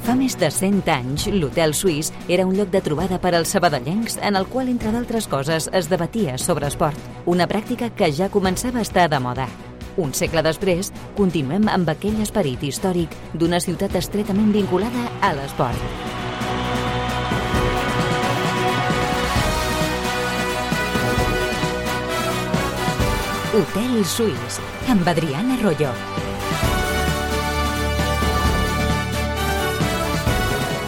Fa més de 100 anys, l'Hotel Suís era un lloc de trobada per als sabadellencs en el qual, entre d'altres coses, es debatia sobre esport, una pràctica que ja començava a estar de moda. Un segle després, continuem amb aquell esperit històric d'una ciutat estretament vinculada a l'esport. Hotel Suís, amb Adriana Arroyo.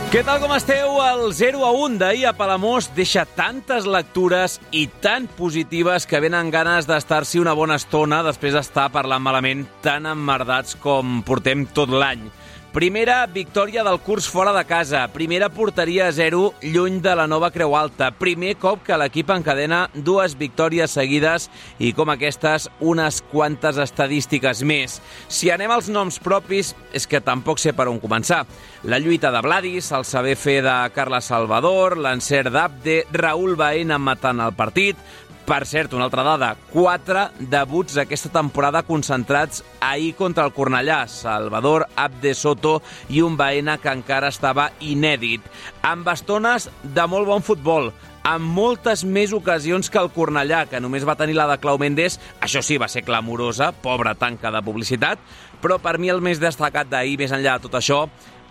Què tal, com esteu? El 0-1 d'ahir a Palamós deixa tantes lectures i tan positives que venen ganes d'estar-s'hi una bona estona després d'estar parlant malament tan emmerdats com portem tot l'any. Primera victòria del curs fora de casa, primera porteria a 0 lluny de la Nova Creu Alta, primer cop que l'equip encadena 2 victòries seguides i, com aquestes, unes quantes estadístiques més. Si anem als noms propis, és que tampoc sé per on començar. La lluita de Vladis, el saber fer de Carles Salvador, l'encert d'Abde, Raúl Baena matant el partit. Per cert, una altra dada, 4 debuts aquesta temporada concentrats ahir contra el Cornellà. Salvador, Abde Soto i un Baena que encara estava inèdit. Amb estones de molt bon futbol, amb moltes més ocasions que el Cornellà, que només va tenir la de Clau Mendes. Això sí, va ser clamorosa, pobra tanca de publicitat, però per mi el més destacat d'ahir, més enllà de tot això,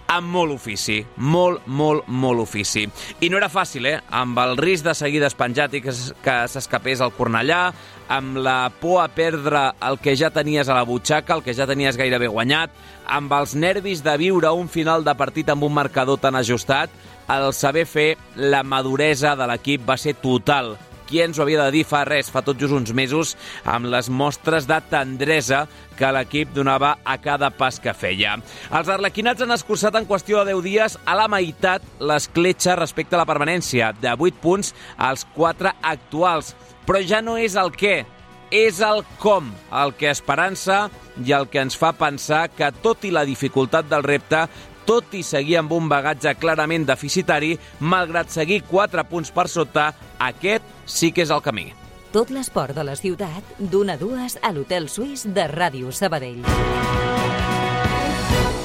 amb molt ofici, molt ofici. I no era fàcil, amb el risc de seguir despenjat i que s'escapés el Cornellà, amb la por a perdre el que ja tenies a la butxaca, el que ja tenies gairebé guanyat, amb els nervis de viure un final de partit amb un marcador tan ajustat, el saber fer, la maduresa de l'equip va ser total. Qui ens ho havia de dir fa tot just uns mesos, amb les mostres de tendresa que l'equip donava a cada pas que feia. Els arlequinats han escurçat en qüestió de 10 dies a la meitat l'escletxa respecte a la permanència, de 8 punts als 4 actuals. Però ja no és el què, és el com, el que esperança i el que ens fa pensar que, tot i la dificultat del repte, tot i seguir amb un bagatge clarament deficitari, malgrat seguir 4 punts per sota, aquest sí que és el camí. Tot l'esport de la ciutat, d'1 a 2 a l'Hotel Suís de Ràdio Sabadell.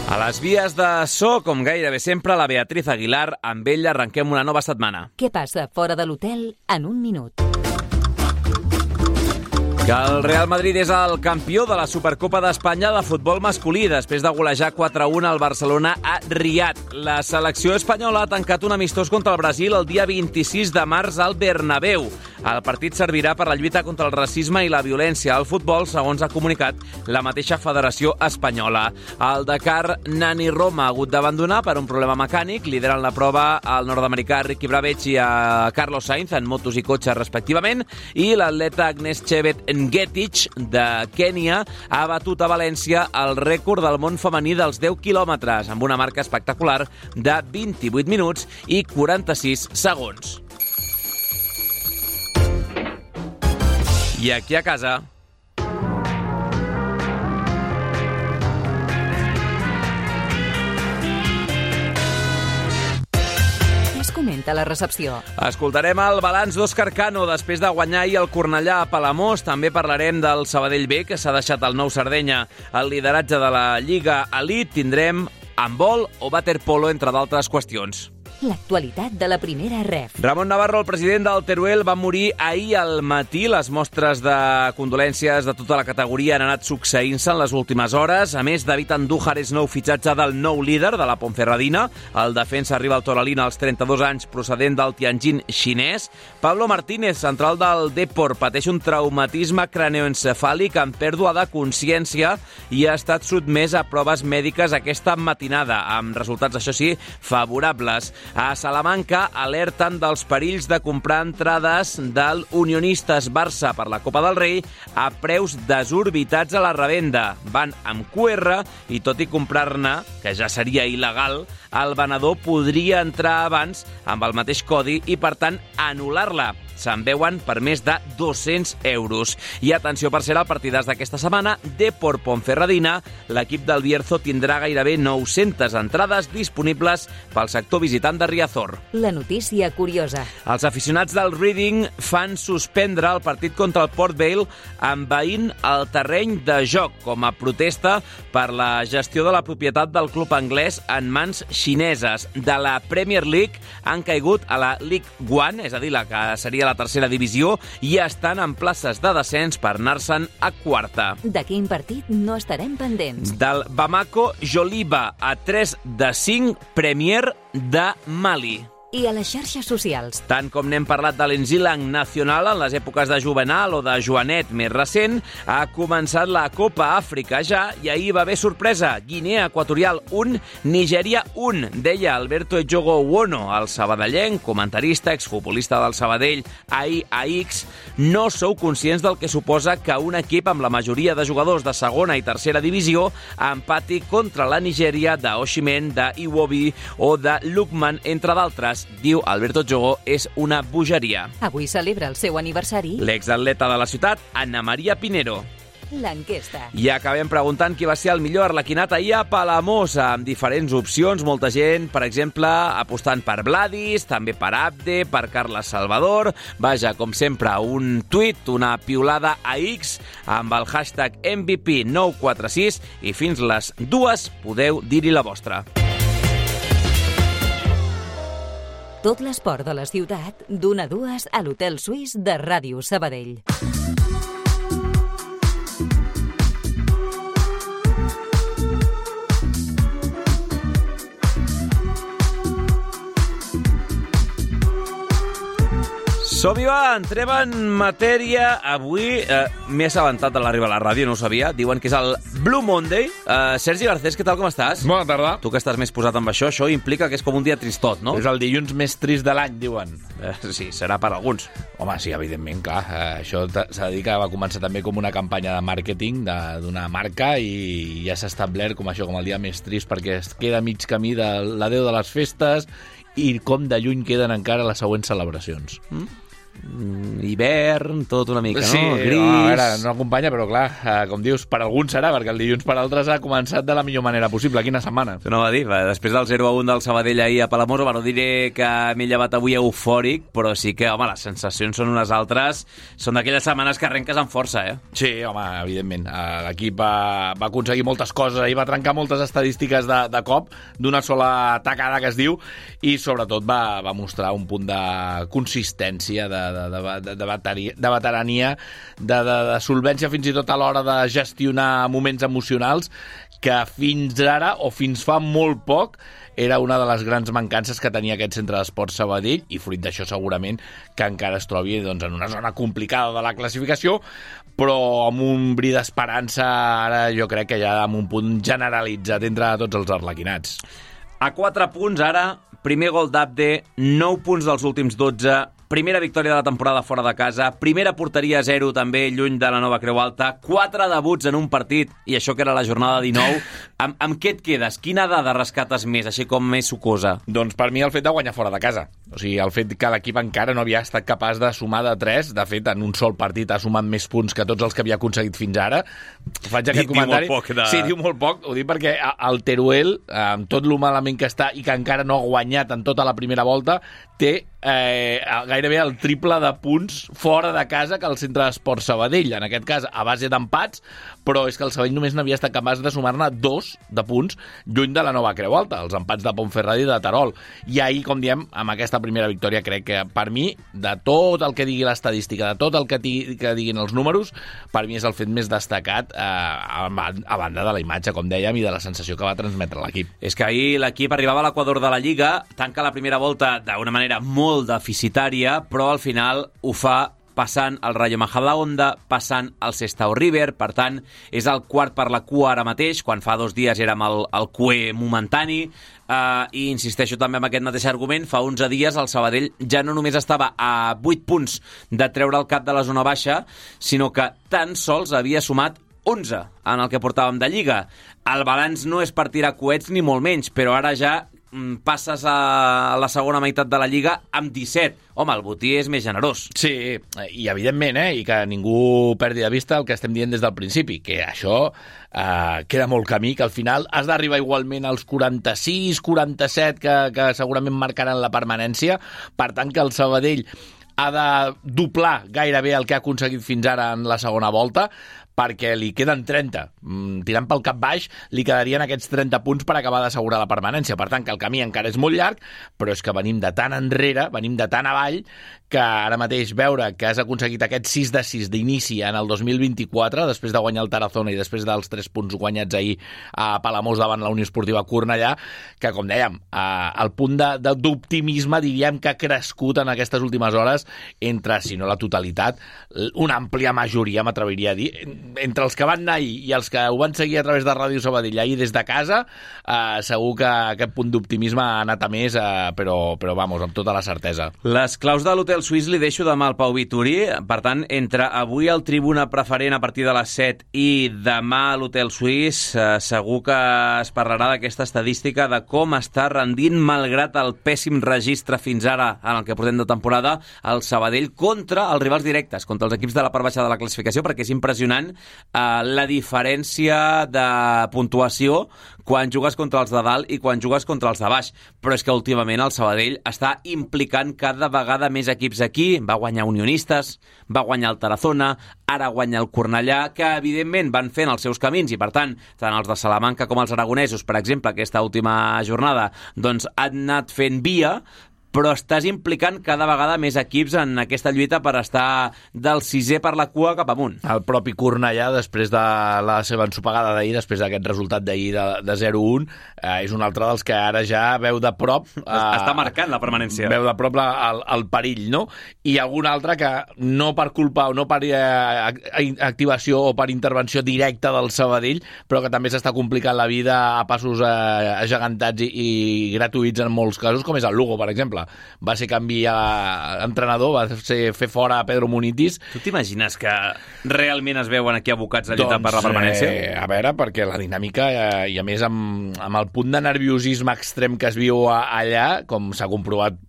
A les vies de so, com gairebé sempre, la Beatriz Aguilar. Amb ella arrenquem una nova setmana. Què passa fora de l'hotel en un minut? Que el Real Madrid és el campió de la Supercopa d'Espanya de futbol masculí després de golejar 4-1 al Barcelona a Riad. La selecció espanyola ha tancat un amistós contra el Brasil el dia 26 de març al Bernabéu. El partit servirà per la lluita contra el racisme i la violència al futbol, segons ha comunicat la mateixa Federació Espanyola. El Dakar Nani Roma ha hagut d'abandonar per un problema mecànic. Lideren la prova el nord-americà Ricky Brabec i a Carlos Sainz en motos i cotxes respectivament, i l'atleta Agnes Chebet Ngetich de Kènia ha batut a València el rècord del món femení dels 10 quilòmetres amb una marca espectacular de 28 minuts i 46 segons. I aquí a casa... Comenta la recepció. Escoltarem el balanç d'Òscar Cano després de guanyar ahir el Cornellà a Palamós. També parlarem del Sabadell B, que s'ha deixat el nou Sardenya al lideratge de la Lliga Elite. Tindrem handbol o waterpolo, entre d'altres qüestions. L'actualitat de la primera ref. Ramon Navarro, el president del Teruel, va morir ahir al matí. Les mostres de condolències de tota la categoria han anat succeint-se en les últimes hores. A més, David Andújar és nou fitxatge del nou líder de la Ponferradina. El defensa arriba al Toralina als 32 anys, procedent del Tianjin xinès. Pablo Martínez, central del Depor, pateix un traumatisme craneoencefàlic amb pèrdua de consciència i ha estat sotmès a proves mèdiques aquesta matinada, amb resultats, això sí, favorables. A Salamanca alerten dels perills de comprar entrades del Unionistes Barça per la Copa del Rei a preus desorbitats a la revenda. Van amb QR i, tot i comprar-ne, que ja seria il·legal, el venedor podria entrar abans amb el mateix codi i, per tant, anul·lar-la. se'n veuen per més de 200 euros. I atenció, per ser el partidàs d'aquesta setmana, Depor Ponferradina, l'equip del Bierzo tindrà gairebé 900 entrades disponibles pel sector visitant de Riazor. La notícia curiosa. Els aficionats del Reading fan suspendre el partit contra el Port Vale envaint el terreny de joc com a protesta per la gestió de la propietat del club anglès en mans xineses. De la Premier League han caigut a la League One, és a dir, la que seria la tercera divisió, i estan en places de descens per anar-se'n a quarta. De quin partit no estarem pendents? Del Bamako Joliba, a 3 de 5 Premier de Mali. I a les xarxes socials. Tant com n'hem parlat de l'Enzilang Nacional en les èpoques de Juvenal o de Joanet més recent, ha començat la Copa Àfrica ja i ahir va haver sorpresa. Guinea Equatorial 1, Nigèria 1. Deia Alberto Ejogo Wono, el sabadellenc, comentarista, exfutbolista del Sabadell, ahir a X, no sou conscients del que suposa que un equip amb la majoria de jugadors de segona i tercera divisió empati contra la Nigèria d'Oshimen, d'Iwobi o de Lukman, entre d'altres. Diu Alberto Jogo, és una bogeria. Avui celebra el seu aniversari L'exatleta de la ciutat, Anna Maria Pinero. l'enquesta. I acabem preguntant qui va ser el millor arlequinat ahir a Palamós, amb diferents opcions. Molta gent, per exemple, apostant per Vladis, també per Abde, per Carles Salvador. Vaja, com sempre, un tuit, una piulada a X amb el hashtag MVP946 i fins les 2 podeu dir-hi la vostra. Tot l'esport de la ciutat, d'1 a 2 a l'Hotel Suís de Ràdio Sabadell. Som-hi, va, entrem en matèria. Avui m'he assabentat de l'arribar a la ràdio, no ho sabia. Diuen que és el Blue Monday. Sergi Garcés, què tal, com estàs? Bona tarda. Tu que estàs més posat amb això implica que és com un dia tristot, no? És el dilluns més trist de l'any, diuen. Sí, serà per alguns. Home, sí, evidentment, clar. Això s'ha de dir que va començar també com una campanya de màrqueting d'una marca i ja s'ha establert com això, com el dia més trist, perquè es queda mig camí de l'adeu de les festes i com de lluny queden encara les següents celebracions. Hivern, tot una mica, sí, no? Gris. No, a veure, no acompanya, però clar, com dius, per alguns serà, perquè el dilluns per altres ha començat de la millor manera possible. Quina setmana. No va dir, després del 0-1 del Sabadell ahir a Palamós, no diré que m'he llevat avui eufòric, però sí que, home, les sensacions són unes altres. Són d'aquelles setmanes que arrenques amb força, eh? Sí, home, evidentment. L'equip va aconseguir moltes coses, ahir va trencar moltes estadístiques de cop, d'una sola tacada que es diu, i sobretot va mostrar un punt de consistència, de veterania, de solvència fins i tot a l'hora de gestionar moments emocionals que fins ara, o fins fa molt poc, era una de les grans mancances que tenia aquest centre d'esports Sabadell, i fruit d'això segurament que encara es trobi doncs, en una zona complicada de la classificació, però amb un bri d'esperança ara jo crec que ja amb un punt generalitzat entre tots els arlequinats. A 4 punts ara, primer gol d'Abde, 9 punts dels últims 12, primera victòria de la temporada fora de casa, primera porteria 0 també lluny de la Nova Creu Alta, 4 debuts en un partit, i això que era la jornada 19. Amb què et quedes? Quina dada rescates més, així com més sucosa? Doncs per mi el fet de guanyar fora de casa. O sigui, el fet que l'equip encara no havia estat capaç de sumar de 3, de fet, en un sol partit ha sumat més punts que tots els que havia aconseguit fins ara. Faig aquest comentari. Diu molt poc. Sí, diu molt poc. Ho dic perquè el Teruel, amb tot lo malament que està i que encara no ha guanyat en tota la primera volta, té gairebé el triple de punts fora de casa que el centre d'esports Sabadell, en aquest cas a base d'empats, però és que el Sabadell només n'havia estat capaç de sumar-ne 2 de punts lluny de la Nova Creu Alta, els empats de Ponferrada i de Terol. I ahir, com diem, amb aquesta primera victòria, crec que per mi, de tot el que digui l'estadística, de tot el que diguin els números, per mi és el fet més destacat a banda de la imatge, com dèiem, i de la sensació que va transmetre l'equip. És que ahir l'equip arribava a l'equador de la Lliga, tanca la primera volta d'una manera molt deficitària, però al final ho fa passant el Rayo Majadahonda, passant el Sestao River, per tant, és el quart per la cua ara mateix, quan fa 2 dies érem el cué momentani, i insisteixo també en aquest mateix argument, fa 11 dies el Sabadell ja no només estava a 8 punts de treure el cap de la zona baixa, sinó que tan sols havia sumat 11 en el que portàvem de Lliga. El balanç no és per tirar coets ni molt menys, però ara ja passes a la segona meitat de la Lliga amb 17. Home, el botí és més generós. Sí, i evidentment, i que ningú perdi de vista el que estem dient des del principi, que això queda molt camí, que al final has d'arribar igualment als 46, 47, que segurament marcaran la permanència. Per tant, que el Sabadell ha de doblar gairebé el que ha aconseguit fins ara en la segona volta, perquè li queden 30. Tirant pel cap baix, li quedarien aquests 30 punts per acabar d'assegurar la permanència. Per tant, que el camí encara és molt llarg, però és que venim de tan enrere, venim de tan avall, que ara mateix veure que has aconseguit aquest 6-6 d'inici en el 2024, després de guanyar el Tarazona i després dels 3 punts guanyats ahir a Palamós davant la Unió Esportiva Cornellà, que, com dèiem, el punt d'optimisme diríem que ha crescut en aquestes últimes hores entre, si no la totalitat, una àmplia majoria, m'atreviria a dir, entre els que van anar ahir i els que ho van seguir a través de Ràdio Sabadell ahir des de casa, segur que aquest punt d'optimisme ha anat a més, però vamos, amb tota la certesa. Les claus de l'Hotel Suís li deixo demà al Pau Vitorí. Per tant, entre avui al Tribuna Preferent a partir de les 7 i demà a l'Hotel Suís, segur que es parlarà d'aquesta estadística de com està rendint, malgrat el pèssim registre fins ara en el que portem de temporada, el Sabadell contra els rivals directes, contra els equips de la part baixa de la classificació, perquè és impressionant la diferència de puntuació quan jugues contra els de dalt i quan jugues contra els de baix. Però és que últimament el Sabadell està implicant cada vegada més equips aquí. Va guanyar Unionistes, va guanyar el Tarazona, ara guanya el Cornellà, que evidentment van fent els seus camins i, per tant, tant els de Salamanca com els aragonesos, per exemple, aquesta última jornada, doncs han anat fent via, però estàs implicant cada vegada més equips en aquesta lluita per estar del 6è per la cua cap amunt. El propi Cornellà, després de la seva ensopegada d'ahir, després d'aquest resultat d'ahir de 0-1, és un altre dels que ara ja veu de prop... Està marcant la permanència. Veu de prop el perill, no? I algun altre que no per culpa o no per activació o per intervenció directa del Sabadell, però que també s'està complicant la vida a passos agegantats i gratuïts en molts casos, com és el Lugo, per exemple. Va ser canviar entrenador, va ser fer fora a Pedro Munitis. Tu t'imagines que realment es veuen aquí abocats a lluitar per la permanència? A veure, perquè la dinàmica, i a més amb el punt de nerviosisme extrem que es viu allà, com s'ha comprovat,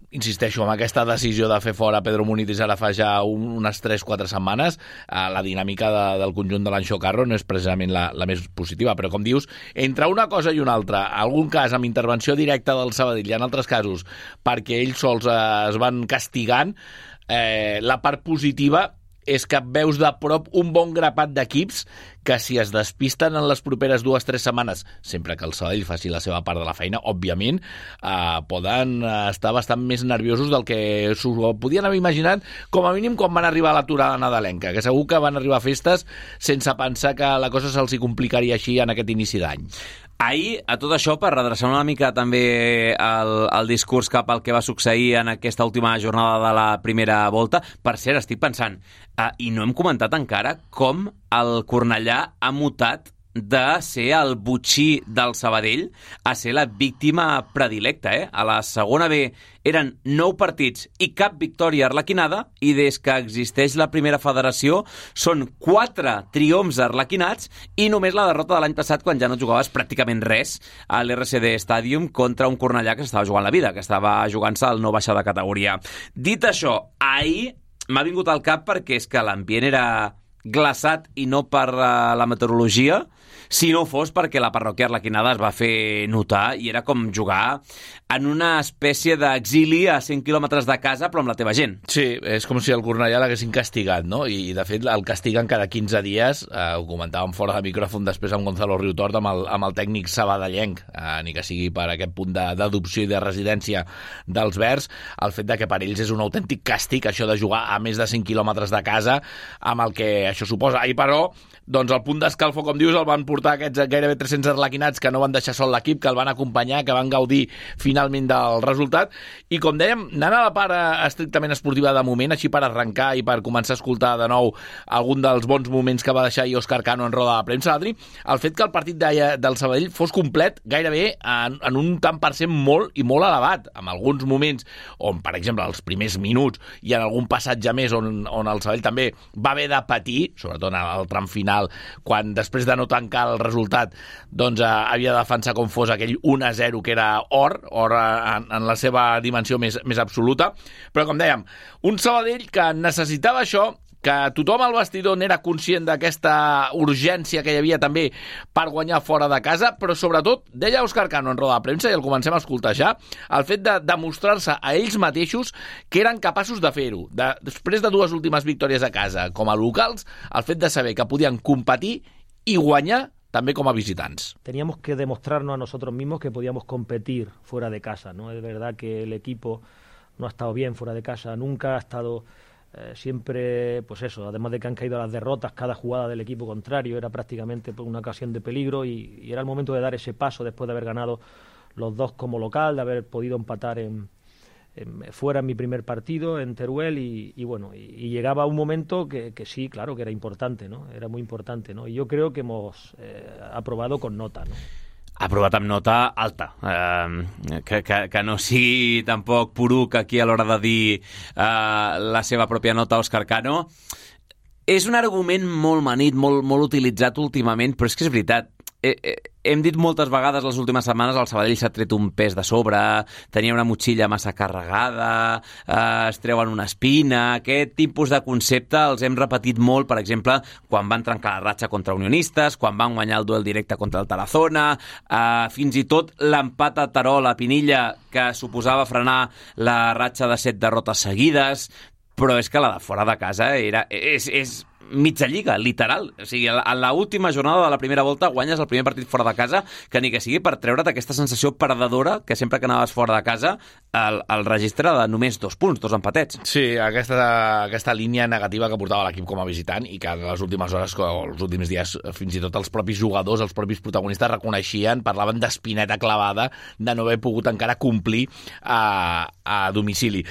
insisteixo, amb aquesta decisió de fer fora Pedro Munitis ara fa ja unes 3-4 setmanes, la dinàmica del conjunt de l'Anxo Carro no és precisament la més positiva, però com dius, entre una cosa i una altra, algun cas amb intervenció directa del Sabadell i en altres casos perquè ells sols es van castigant, la part positiva és que veus de prop un bon grapat d'equips que si es despisten en les properes 2-3 setmanes, sempre que el Sabadell faci la seva part de la feina, òbviament, poden estar bastant més nerviosos del que s'ho podien haver imaginat, com a mínim quan van arribar a l'aturada nadalenca, que segur que van arribar a festes sense pensar que la cosa se'ls complicaria així en aquest inici d'any. Ahir, a tot això, per redreçar una mica també el discurs cap al que va succeir en aquesta última jornada de la primera volta, per cert, estic pensant, i no hem comentat encara com el Cornellà ha mutat de ser el botxí del Sabadell a ser la víctima predilecta. A la segona B eren 9 partits i cap victòria arlequinada, i des que existeix la primera federació són 4 triomfs arlequinats i només la derrota de l'any passat, quan ja no jugaves pràcticament res a l'RCD Stadium contra un Cornellà que s'estava jugant la vida, que estava jugant-se al no baixar de categoria. Dit això, ahir m'ha vingut al cap perquè és que l'ambient era glaçat i no per la meteorologia, si no fos perquè la parròquia arlequinada es va fer notar i era com jugar en una espècie d'exili a 100 quilòmetres de casa, però amb la teva gent. Sí, és com si el Cornellà l'haguessin castigat, no? I de fet el castiguen cada 15 dies, ho comentàvem fora de micròfon després amb Gonzalo Riutort, amb el tècnic sabadellenc, ni que sigui per aquest punt d'adopció i de residència dels verds, el fet de que per ells és un autèntic càstig això de jugar a més de 100 quilòmetres de casa, amb el que això suposa. I però, doncs el punt d'escalfor, com dius, el van portar aquests gairebé 300 arlequinats que no van deixar sol l'equip, que el van acompanyar, que van gaudir finalment del resultat. I com dèiem, anant a la part estrictament esportiva de moment, així per arrencar i per començar a escoltar de nou algun dels bons moments que va deixar ahir Òscar Cano en roda de premsa, Adri, el fet que el partit del Sabadell fos complet gairebé en un tant per cent molt i molt elevat, amb alguns moments on, per exemple, els primers minuts i en algun passatge més on el Sabadell també va haver de patir, ahir, sobretot al tram final, quan després de no tancar el resultat doncs havia de defensar com fos aquell 1-0 que era or en la seva dimensió més absoluta. Però com dèiem, un Sabadell que necessitava això, que tothom al vestidor n'era conscient d'aquesta urgència que hi havia també per guanyar fora de casa, però sobretot, deia Òscar Cano en roda de premsa, i el comencem a escoltar ja, el fet de demostrar-se a ells mateixos que eren capaços de fer-ho. Després de 2 últimes victòries a casa com a locals, el fet de saber que podien competir i guanyar també com a visitants. Teníamos que demostrarnos a nosotros mismos que podíamos competir fuera de casa, ¿no? Es verdad que el equipo no ha estado bien fuera de casa, nunca ha estado... siempre, pues eso, además de que han caído las derrotas, cada jugada del equipo contrario era prácticamente una ocasión de peligro y era el momento de dar ese paso después de haber ganado los 2 como local, de haber podido empatar fuera en mi primer partido en Teruel y bueno, y llegaba un momento que sí, claro, que era importante, ¿no? Era muy importante, ¿no? Y yo creo que hemos aprobado con nota, ¿no? Aprovat amb nota alta, que no sigui tampoc poruc aquí a l'hora de dir la seva pròpia nota, Òscar Cano. És un argument molt manit, molt utilitzat últimament, però és que és veritat. Hem dit moltes vegades les últimes setmanes el Sabadell s'ha tret un pes de sobre, tenia una motxilla massa carregada, es treuen una espina. Aquest tipus de concepte els hem repetit molt, per exemple, quan van trencar la ratxa contra Unionistes, quan van guanyar el duel directe contra el Tarazona, fins i tot l'empat a Terol a Pinilla, que suposava frenar la ratxa de 7 derrotes seguides, però és que la de fora de casa és mitja lliga, literal. O sigui, a l'última jornada de la primera volta guanyes el primer partit fora de casa, que ni que sigui per treure't aquesta sensació perdedora que sempre que anaves fora de casa el registre de només 2 punts, 2 empatets. Sí, aquesta línia negativa que portava l'equip com a visitant i que en les últimes hores, o els últims dies, fins i tot els propis jugadors, els propis protagonistes reconeixien, parlaven d'espineta clavada de no haver pogut encara complir a domicili.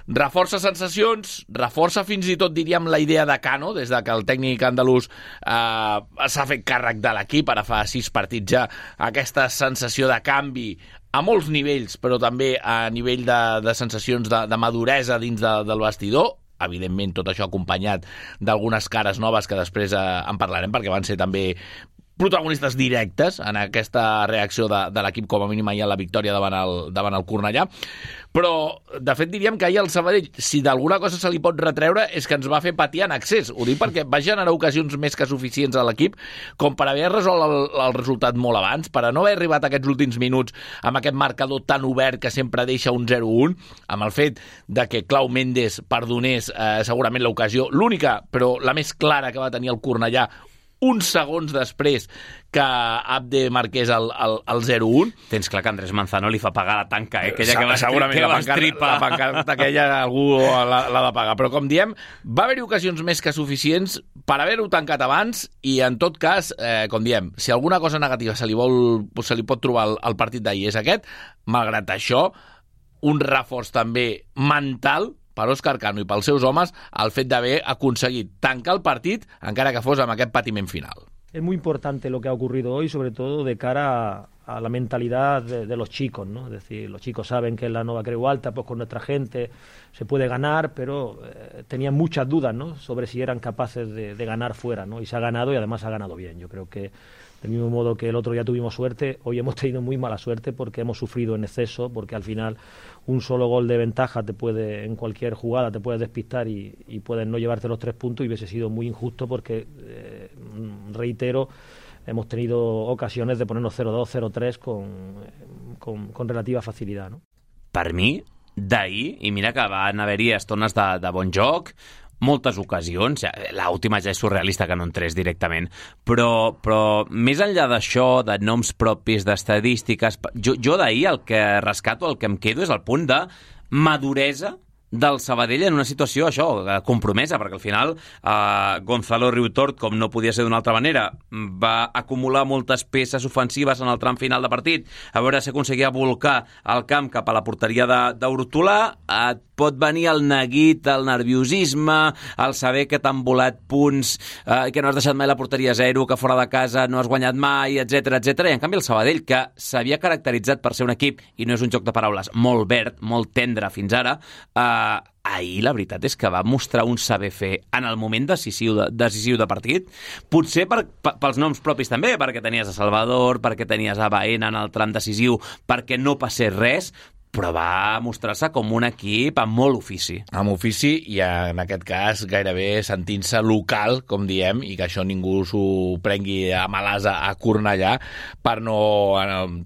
Reforça sensacions, reforça fins i tot, diríem, la idea de Cano, des de que el tècnic andalús s'ha fet càrrec de l'equip, ara fa 6 partits ja, aquesta sensació de canvi a molts nivells, però també a nivell de sensacions de maduresa dins del vestidor. Evidentment, tot això acompanyat d'algunes cares noves que després en parlarem, perquè van ser també protagonistes directes en aquesta reacció de l'equip, com a mínim ahir a la victòria davant el Cornellà. Però, de fet, diríem que ahir el Sabadell, si d'alguna cosa se li pot retreure, és que ens va fer patir en excés. Ho dic perquè va generar ocasions més que suficients a l'equip com per haver resolt el resultat molt abans, per a no haver arribat a aquests últims minuts amb aquest marcador tan obert que sempre deixa un 0-1, amb el fet de que Clau Méndez perdonés segurament l'ocasió, l'única, però la més clara que va tenir el Cornellà, uns segons després que Abde marqués el 0-1. Tens clar que Andrés Manzano li fa pagar la tanca, aquella que va segurament estripar. La pancarta aquella algú l'ha de pagar. Però com diem, va haver-hi ocasions més que suficients per haver-ho tancat abans i en tot cas, com diem, si alguna cosa negativa se li pot trobar al partit d'ahir és aquest, malgrat això, un reforç també mental per Òscar Cano i pels seus homes el fet d'haver aconseguit tancar el partit encara que fos amb aquest patiment final. Es muy importante lo que ha ocurrido hoy, sobre todo de cara a la mentalidad de los chicos, ¿no? Es decir, los chicos saben que en la Nova Creu Alta, pues con nuestra gente se puede ganar, pero tenían muchas dudas, ¿no? Sobre si eran capaces de ganar fuera, ¿no? Y se ha ganado y además ha ganado bien. Yo creo que del mismo modo que el otro día tuvimos suerte, hoy hemos tenido muy mala suerte porque hemos sufrido en exceso, porque al final un solo gol de ventaja en cualquier jugada te puedes despistar y puedes no llevarte los 3 puntos y hubiese sido muy injusto porque, reitero, hemos tenido ocasiones de ponernos 0-2, 0-3 con relativa facilitat, no? Per mi, d'ahir, i mira que van haver-hi estones de bon joc, moltes ocasions, l'última ja és surrealista que no entrés directament, però més enllà d'això, de noms propis, d'estadístiques, jo d'ahir el que rescato, el que em quedo és el punt de maduresa del Sabadell en una situació, això, compromesa, perquè al final Gonzalo Riutort, com no podia ser d'una altra manera, va acumular moltes peces ofensives en el tram final de partit, a veure si aconseguia volcar el camp cap a la porteria d'Hortolà. Et pot venir el neguit, el nerviosisme, el saber que t'han volat punts, que no has deixat mai la porteria 0, que fora de casa no has guanyat mai, etc. I en canvi el Sabadell, que s'havia caracteritzat per ser un equip, i no és un joc de paraules, molt verd, molt tendre fins ara, ahir la veritat és que va mostrar un saber fer en el moment decisiu de partit, potser pels noms propis també, perquè tenies a Salvador, perquè tenies a Baena en el tram decisiu, perquè no passés res, però va mostrar-se com un equip amb molt ofici. Amb ofici i en aquest cas gairebé sentint-se local, com diem, i que això ningú s'ho prengui a malasa a Cornellà per no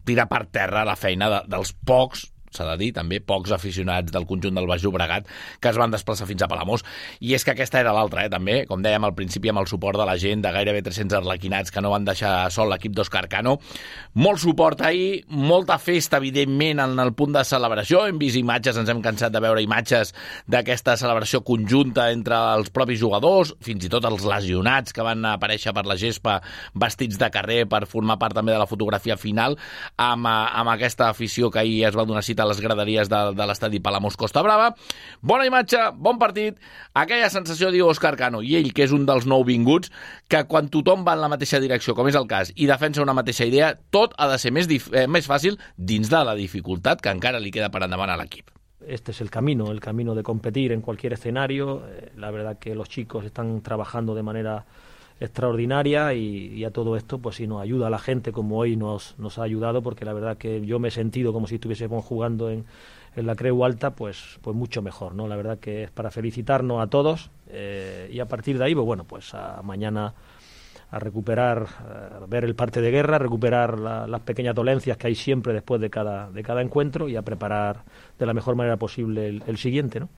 tirar per terra la feina dels pocs, s'ha de dir, també pocs aficionats del conjunt del Baix Llobregat que es van desplaçar fins a Palamós. I és que aquesta era l'altra, també, com dèiem al principi, amb el suport de la gent, de gairebé 300 arlequinats que no van deixar sol l'equip d'Òscar Cano. Molt suport ahir, molta festa, evidentment, en el punt de celebració. Hem vist imatges, ens hem cansat de veure imatges d'aquesta celebració conjunta entre els propis jugadors, fins i tot els lesionats que van aparèixer per la gespa vestits de carrer per formar part també de la fotografia final amb aquesta afició que ahir es va donar cita a les graderies de l'estadi Palamós Costa Brava. Bona imatge, bon partit, aquella sensació, diu Òscar Cano, i ell, que és un dels nouvinguts, que quan tothom va en la mateixa direcció, com és el cas, i defensa una mateixa idea, tot ha de ser més fàcil dins de la dificultat que encara li queda per endavant a l'equip. Este es el camino de competir en cualquier escenario. La verdad que los chicos están trabajando de manera extraordinaria y a todo esto pues sí nos ayuda a la gente como hoy nos ha ayudado, porque la verdad que yo me he sentido como si estuviésemos jugando en la Creu Alta, pues mucho mejor, ¿no? La verdad que es para felicitarnos a todos y a partir de ahí pues mañana a recuperar, a ver el parte de guerra, recuperar las pequeñas dolencias que hay siempre después de cada encuentro y a preparar de la mejor manera posible el siguiente, ¿no?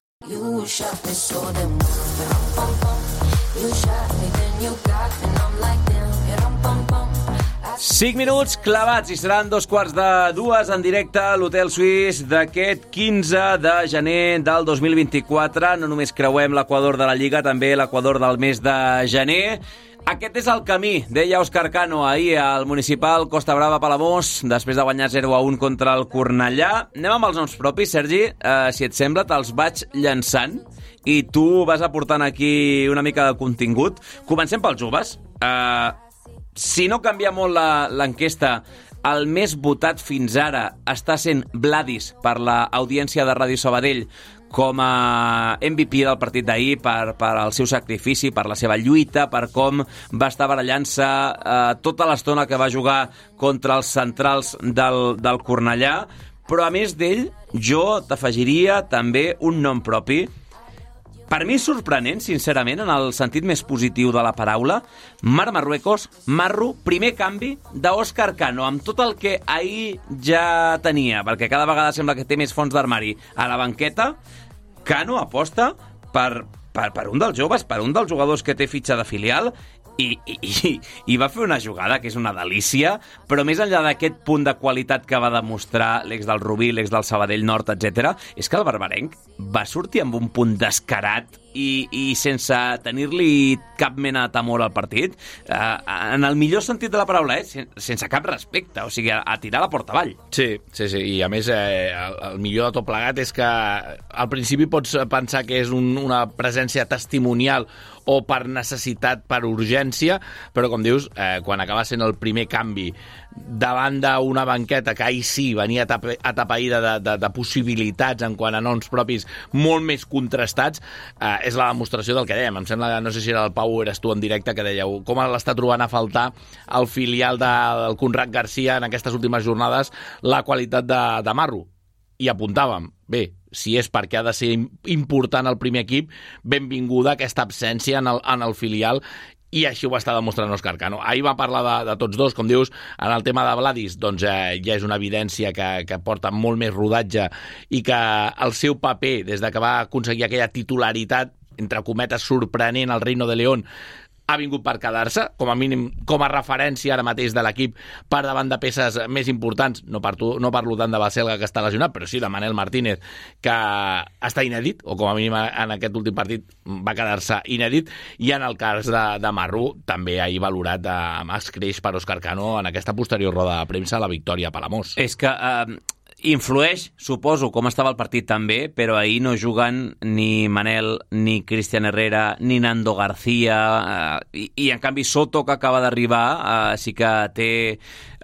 5 minuts clavats i seran 2:45 en directe a l'Hotel Suís d'aquest 15 de gener del 2024. No només creuem l'equador de la Lliga, també l'equador del mes de gener. Aquest és el camí, deia Òscar Cano ahir al municipal Costa Brava Palamós, després de guanyar 0-1 contra el Cornellà. Anem amb els noms propis, Sergi. Si et sembla, te'ls vaig llançant i tu vas aportant aquí una mica de contingut. Comencem pels joves. Si no canvia molt l'enquesta, el més votat fins ara està sent Vladis per l'audiència de Ràdio Sabadell com a MVP del partit d'ahir per el seu sacrifici, per la seva lluita, per com va estar barallant-se tota l'estona que va jugar contra els centrals del Cornellà. Però a més d'ell, jo t'afegiria també un nom propi. Per mi és sorprenent, sincerament, en el sentit més positiu de la paraula, Marc Marruecos, Marru, primer canvi d'Òscar Cano, amb tot el que ahir ja tenia, perquè cada vegada sembla que té més fons d'armari a la banqueta. Cano aposta per un dels joves, per un dels jugadors que té fitxa de filial, i va fer una jugada que és una delícia, però més enllà d'aquest punt de qualitat que va demostrar l'ex del Rubí, l'ex del Sabadell Nord, etc., és que el barbarenc va sortir amb un punt descarat i sense tenir-li cap mena de temor al partit, en el millor sentit de la paraula, sense cap respecte, o sigui, a tirar la porta avall. Sí, i a més el millor de tot plegat és que al principi pots pensar que és una presència testimonial o per necessitat, per urgència, però com dius, quan acaba sent el primer canvi davant d'una banqueta que ahir sí venia atapeïda de possibilitats en quant a noms propis molt més contrastats, és la demostració del que dèiem. Em sembla, no sé si era el Pau o eres tu en directe, que dèieu com l'està trobant a faltar el filial del Conrad Garcia en aquestes últimes jornades, la qualitat de Marru. I apuntàvem, bé, si és perquè ha de ser important el primer equip, benvinguda aquesta absència en el filial, i així ho està demostrant Òscar Cano. Ahir va parlar de tots dos, com dius, en el tema de Vladis, doncs ja és una evidència que porta molt més rodatge i que el seu paper, des que va aconseguir aquella titularitat, entre cometes, sorprenent al Reino de León, ha vingut per quedar-se, com a mínim com a referència ara mateix de l'equip per davant de peces més importants. No parlo tant de Baselga, que està lesionat, però sí de Manel Martínez, que està inèdit, o com a mínim en aquest últim partit va quedar-se inèdit, i en el cas de Marru també ahir valorat amb escreix per Òscar Cano en aquesta posterior roda de premsa a la victòria a Palamós. És que Influeix, suposo, com estava el partit també, però ahir no juguen ni Manel, ni Cristian Herrera, ni Nando García, i en canvi Soto, que acaba d'arribar, sí que té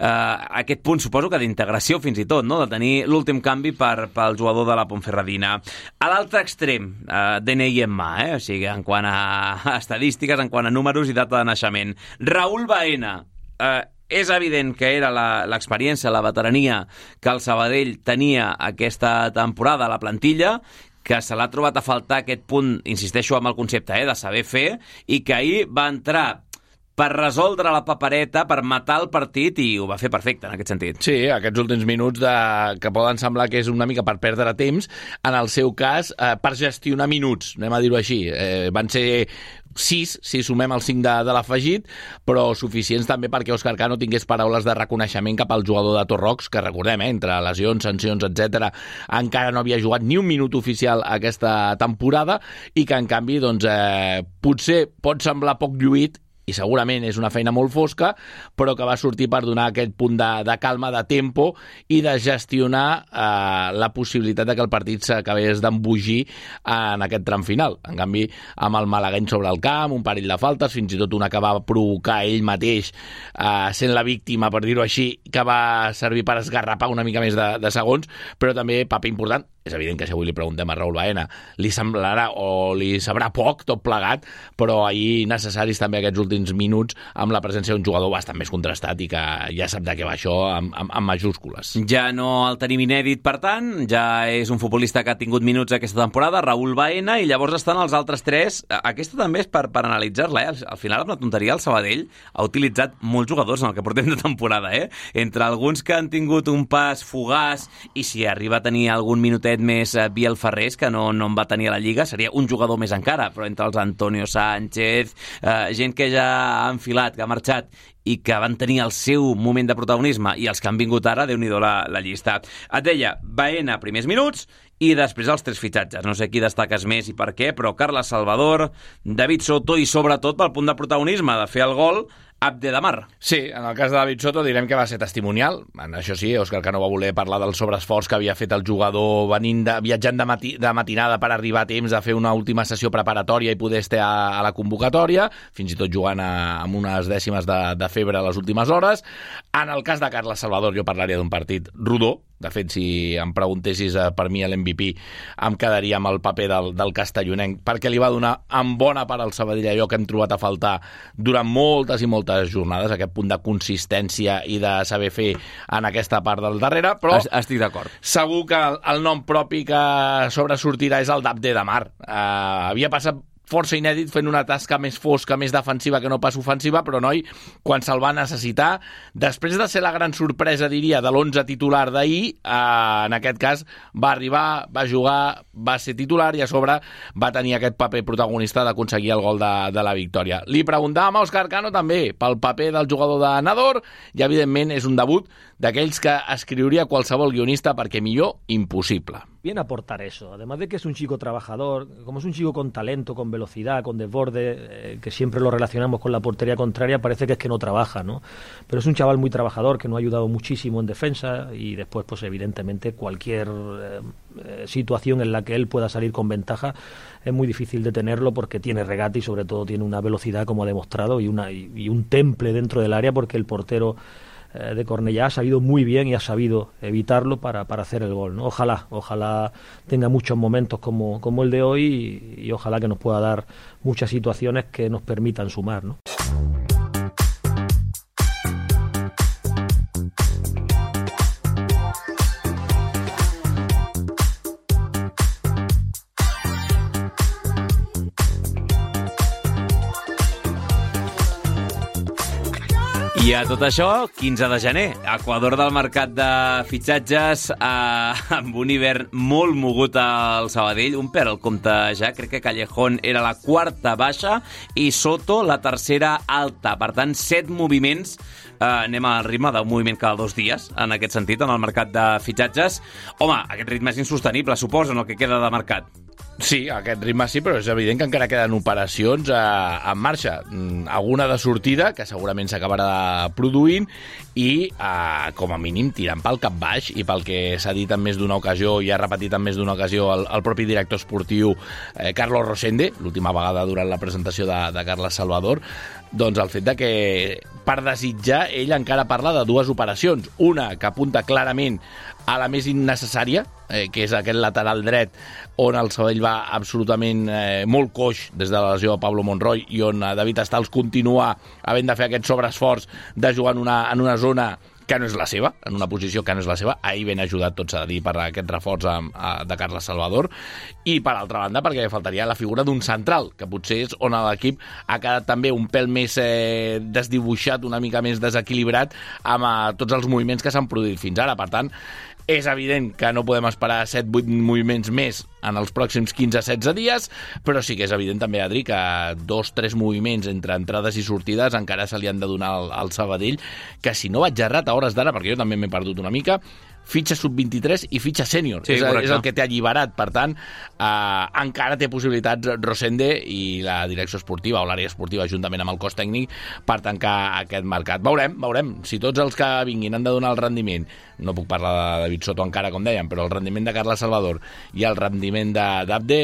aquest punt, suposo que d'integració fins i tot, no? De tenir l'últim canvi pel jugador de la Ponferradina. A l'altre extrem, DNI en mà, o sigui, en quant a estadístiques, en quant a números i data de naixement. Raúl Baena, és evident que era l'experiència, la veterania que el Sabadell tenia aquesta temporada a la plantilla, que se l'ha trobat a faltar aquest punt, insisteixo amb el concepte, de saber fer, i que ahir va entrar per resoldre la papereta, per matar el partit, i ho va fer perfecte, en aquest sentit. Sí, aquests últims minuts que poden semblar que és una mica per perdre temps, en el seu cas, per gestionar minuts, anem a dir-ho així. Van ser 6, si sumem el 5 de l'afegit, però suficients també perquè Òscar Cano tingués paraules de reconeixement cap al jugador de Torrox, que recordem, entre lesions, sancions, etc, encara no havia jugat ni un minut oficial aquesta temporada, i que en canvi, doncs, potser pot semblar poc lluït, i segurament és una feina molt fosca, però que va sortir per donar aquest punt de calma, de tempo, i de gestionar la possibilitat de que el partit s'acabés d'embogir en aquest tram final. En canvi, amb el malagueny sobre el camp, un parell de faltes, fins i tot una que va provocar ell mateix, sent la víctima, per dir-ho així, que va servir per esgarrapar una mica més de segons, però també paper important. És evident que si avui li preguntem a Raúl Baena li semblarà o li sabrà poc tot plegat, però ahir necessaris també aquests últims minuts amb la presència d'un jugador bastant més contrastat i que ja sap de què va això amb majúscules. Ja no el tenim inèdit, per tant, ja és un futbolista que ha tingut minuts aquesta temporada, Raúl Baena, i llavors estan els altres tres. Aquesta també és per analitzar-la, Al final, amb la tonteria, el Sabadell ha utilitzat molts jugadors en el que portem de temporada, Entre alguns que han tingut un pas fugaç, i si arriba a tenir algun minutet més Biel Ferrés, que no en va tenir a la Lliga, seria un jugador més encara, però entre els Antonio Sánchez, gent que ja ha enfilat, que ha marxat i que van tenir el seu moment de protagonisme, i els que han vingut ara, Déu-n'hi-do la llista. Et deia, Baena, primers minuts, i després els tres fitxatges. No sé qui destaques més i per què, però Carles Salvador, David Soto i sobretot pel punt de protagonisme de fer el gol, Abdelhamar. Sí, en el cas de David Soto direm que va ser testimonial. En això sí, Òscar Cano va voler parlar del sobreesforç que havia fet el jugador viatjant de matinada per arribar a temps de fer una última sessió preparatòria i poder estar a la convocatòria, fins i tot jugant amb unes dècimes de febre a les últimes hores. En el cas de Carles Salvador jo parlaria d'un partit rodó. De fet, si em preguntessis per mi l'MVP, em quedaria amb el paper del castellonenc, perquè li va donar en bona part al Sabadell allò que hem trobat a faltar durant moltes i moltes jornades, aquest punt de consistència i de saber fer en aquesta part del darrere, però estic d'acord. Segur que el nom propi que sobresortirà és el d'Abdelhamar. Havia passat força inèdit fent una tasca més fosca, més defensiva que no pas ofensiva, però noi, quan se'l va necessitar, després de ser la gran sorpresa, diria, de l'11 titular d'ahir, en aquest cas va arribar, va jugar, va ser titular i a sobre va tenir aquest paper protagonista d'aconseguir el gol de la victòria. Li preguntàvem a Òscar Cano també pel paper del jugador de Nador i evidentment és un debut d'aquells que escriuria qualsevol guionista perquè millor impossible. Viene a aportar eso, además de que es un chico trabajador, como es un chico con talento, con velocidad, con desborde, que siempre lo relacionamos con la portería contraria, parece que es que no trabaja, ¿no? Pero es un chaval muy trabajador que nos ha ayudado muchísimo en defensa y después, pues evidentemente, cualquier situación en la que él pueda salir con ventaja es muy difícil detenerlo porque tiene regate y sobre todo tiene una velocidad, como ha demostrado, y un temple dentro del área porque el portero de Cornellá ha sabido muy bien y ha sabido evitarlo para hacer el gol, ¿no? Ojalá tenga muchos momentos como el de hoy y ojalá que nos pueda dar muchas situaciones que nos permitan sumar, ¿no? I a tot això, 15 de gener, Equador del mercat de fitxatges, amb un hivern molt mogut al Sabadell, un pèl al compte ja, crec que Callejón era la quarta baixa i Soto la tercera alta, per tant 7 moviments, anem al ritme d'un moviment cada 2 dies, en aquest sentit, en el mercat de fitxatges. Home, aquest ritme és insostenible, suposo, en el que queda de mercat. Sí, aquest ritme sí, però és evident que encara queden operacions en marxa. Alguna de sortida, que segurament s'acabarà produint, i com a mínim tirant pel cap baix, i pel que s'ha dit en més d'una ocasió, i ha repetit en més d'una ocasió el propi director esportiu Carlos Rosende, l'última vegada durant la presentació de Carles Salvador, doncs el fet de que, per desitjar, ell encara parla de dues operacions. Una que apunta clarament a la més innecessària, que és aquest lateral dret, on el Sabadell va absolutament molt coix des de la lesió de Pablo Monroy, i on David Stals continua havent de fer aquest sobreesforç de jugar en una zona que no és la seva, en una posició que no és la seva. Ahir ben ajudat, tot s'ha de dir, per aquest reforç de Carles Salvador. I, per altra banda, perquè faltaria la figura d'un central, que potser és on l'equip ha quedat també un pèl més desdibuixat, una mica més desequilibrat amb tots els moviments que s'han produït fins ara. Per tant, és evident que no podem esperar 7-8 moviments més en els pròxims 15-16 dies, però sí que és evident també, Adri, que 2-3 moviments entre entrades i sortides encara se li han de donar al Sabadell, que si no vaig errat a hores d'ara, perquè jo també m'he perdut una mica, fitxa sub-23 i fitxa sènior. Sí, és el que té alliberat. Per tant, encara té possibilitats Rosende i la direcció esportiva o l'àrea esportiva, juntament amb el cos tècnic, per tancar aquest mercat. Veurem. Si tots els que vinguin han de donar el rendiment, no puc parlar de David Soto encara, com dèiem, però el rendiment de Carles Salvador i el rendiment d'Abde,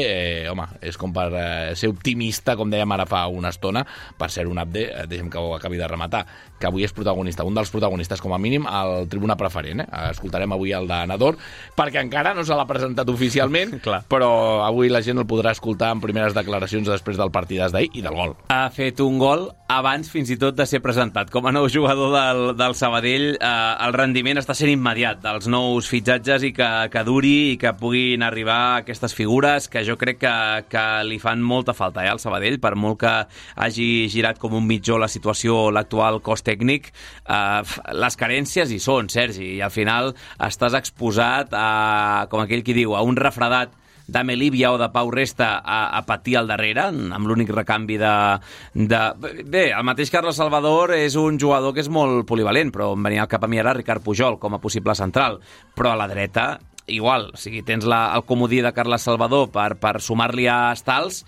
home, és com per ser optimista, com dèiem ara fa una estona. Per ser un Abde, deixem que ho acabi de rematar, que avui és protagonista, un dels protagonistes, com a mínim, al tribuna preferent. Escoltarem avui el de Nador, perquè encara no se l'ha presentat oficialment, però avui la gent el podrà escoltar en primeres declaracions després del partidàs d'ahir i del gol. Ha fet un gol abans fins i tot de ser presentat. Com a nou jugador del Sabadell, el rendiment està sent immediat dels nous fitxatges, i que duri i que puguin arribar aquestes figures que jo crec que li fan molta falta al Sabadell, per molt que hagi girat com un mitjó la situació, l'actual cos tècnic. Les carències hi són, Sergi, i al final estàs exposat a, com aquell qui diu, a un refredat de Melívia o de Pau Resta a patir al darrere, amb l'únic recanvi Bé, el mateix Carles Salvador és un jugador que és molt polivalent, però em venia al cap a mi ara Ricard Pujol com a possible central, però a la dreta igual, o sigui, tens el comodí de Carles Salvador per sumar-li a Stals,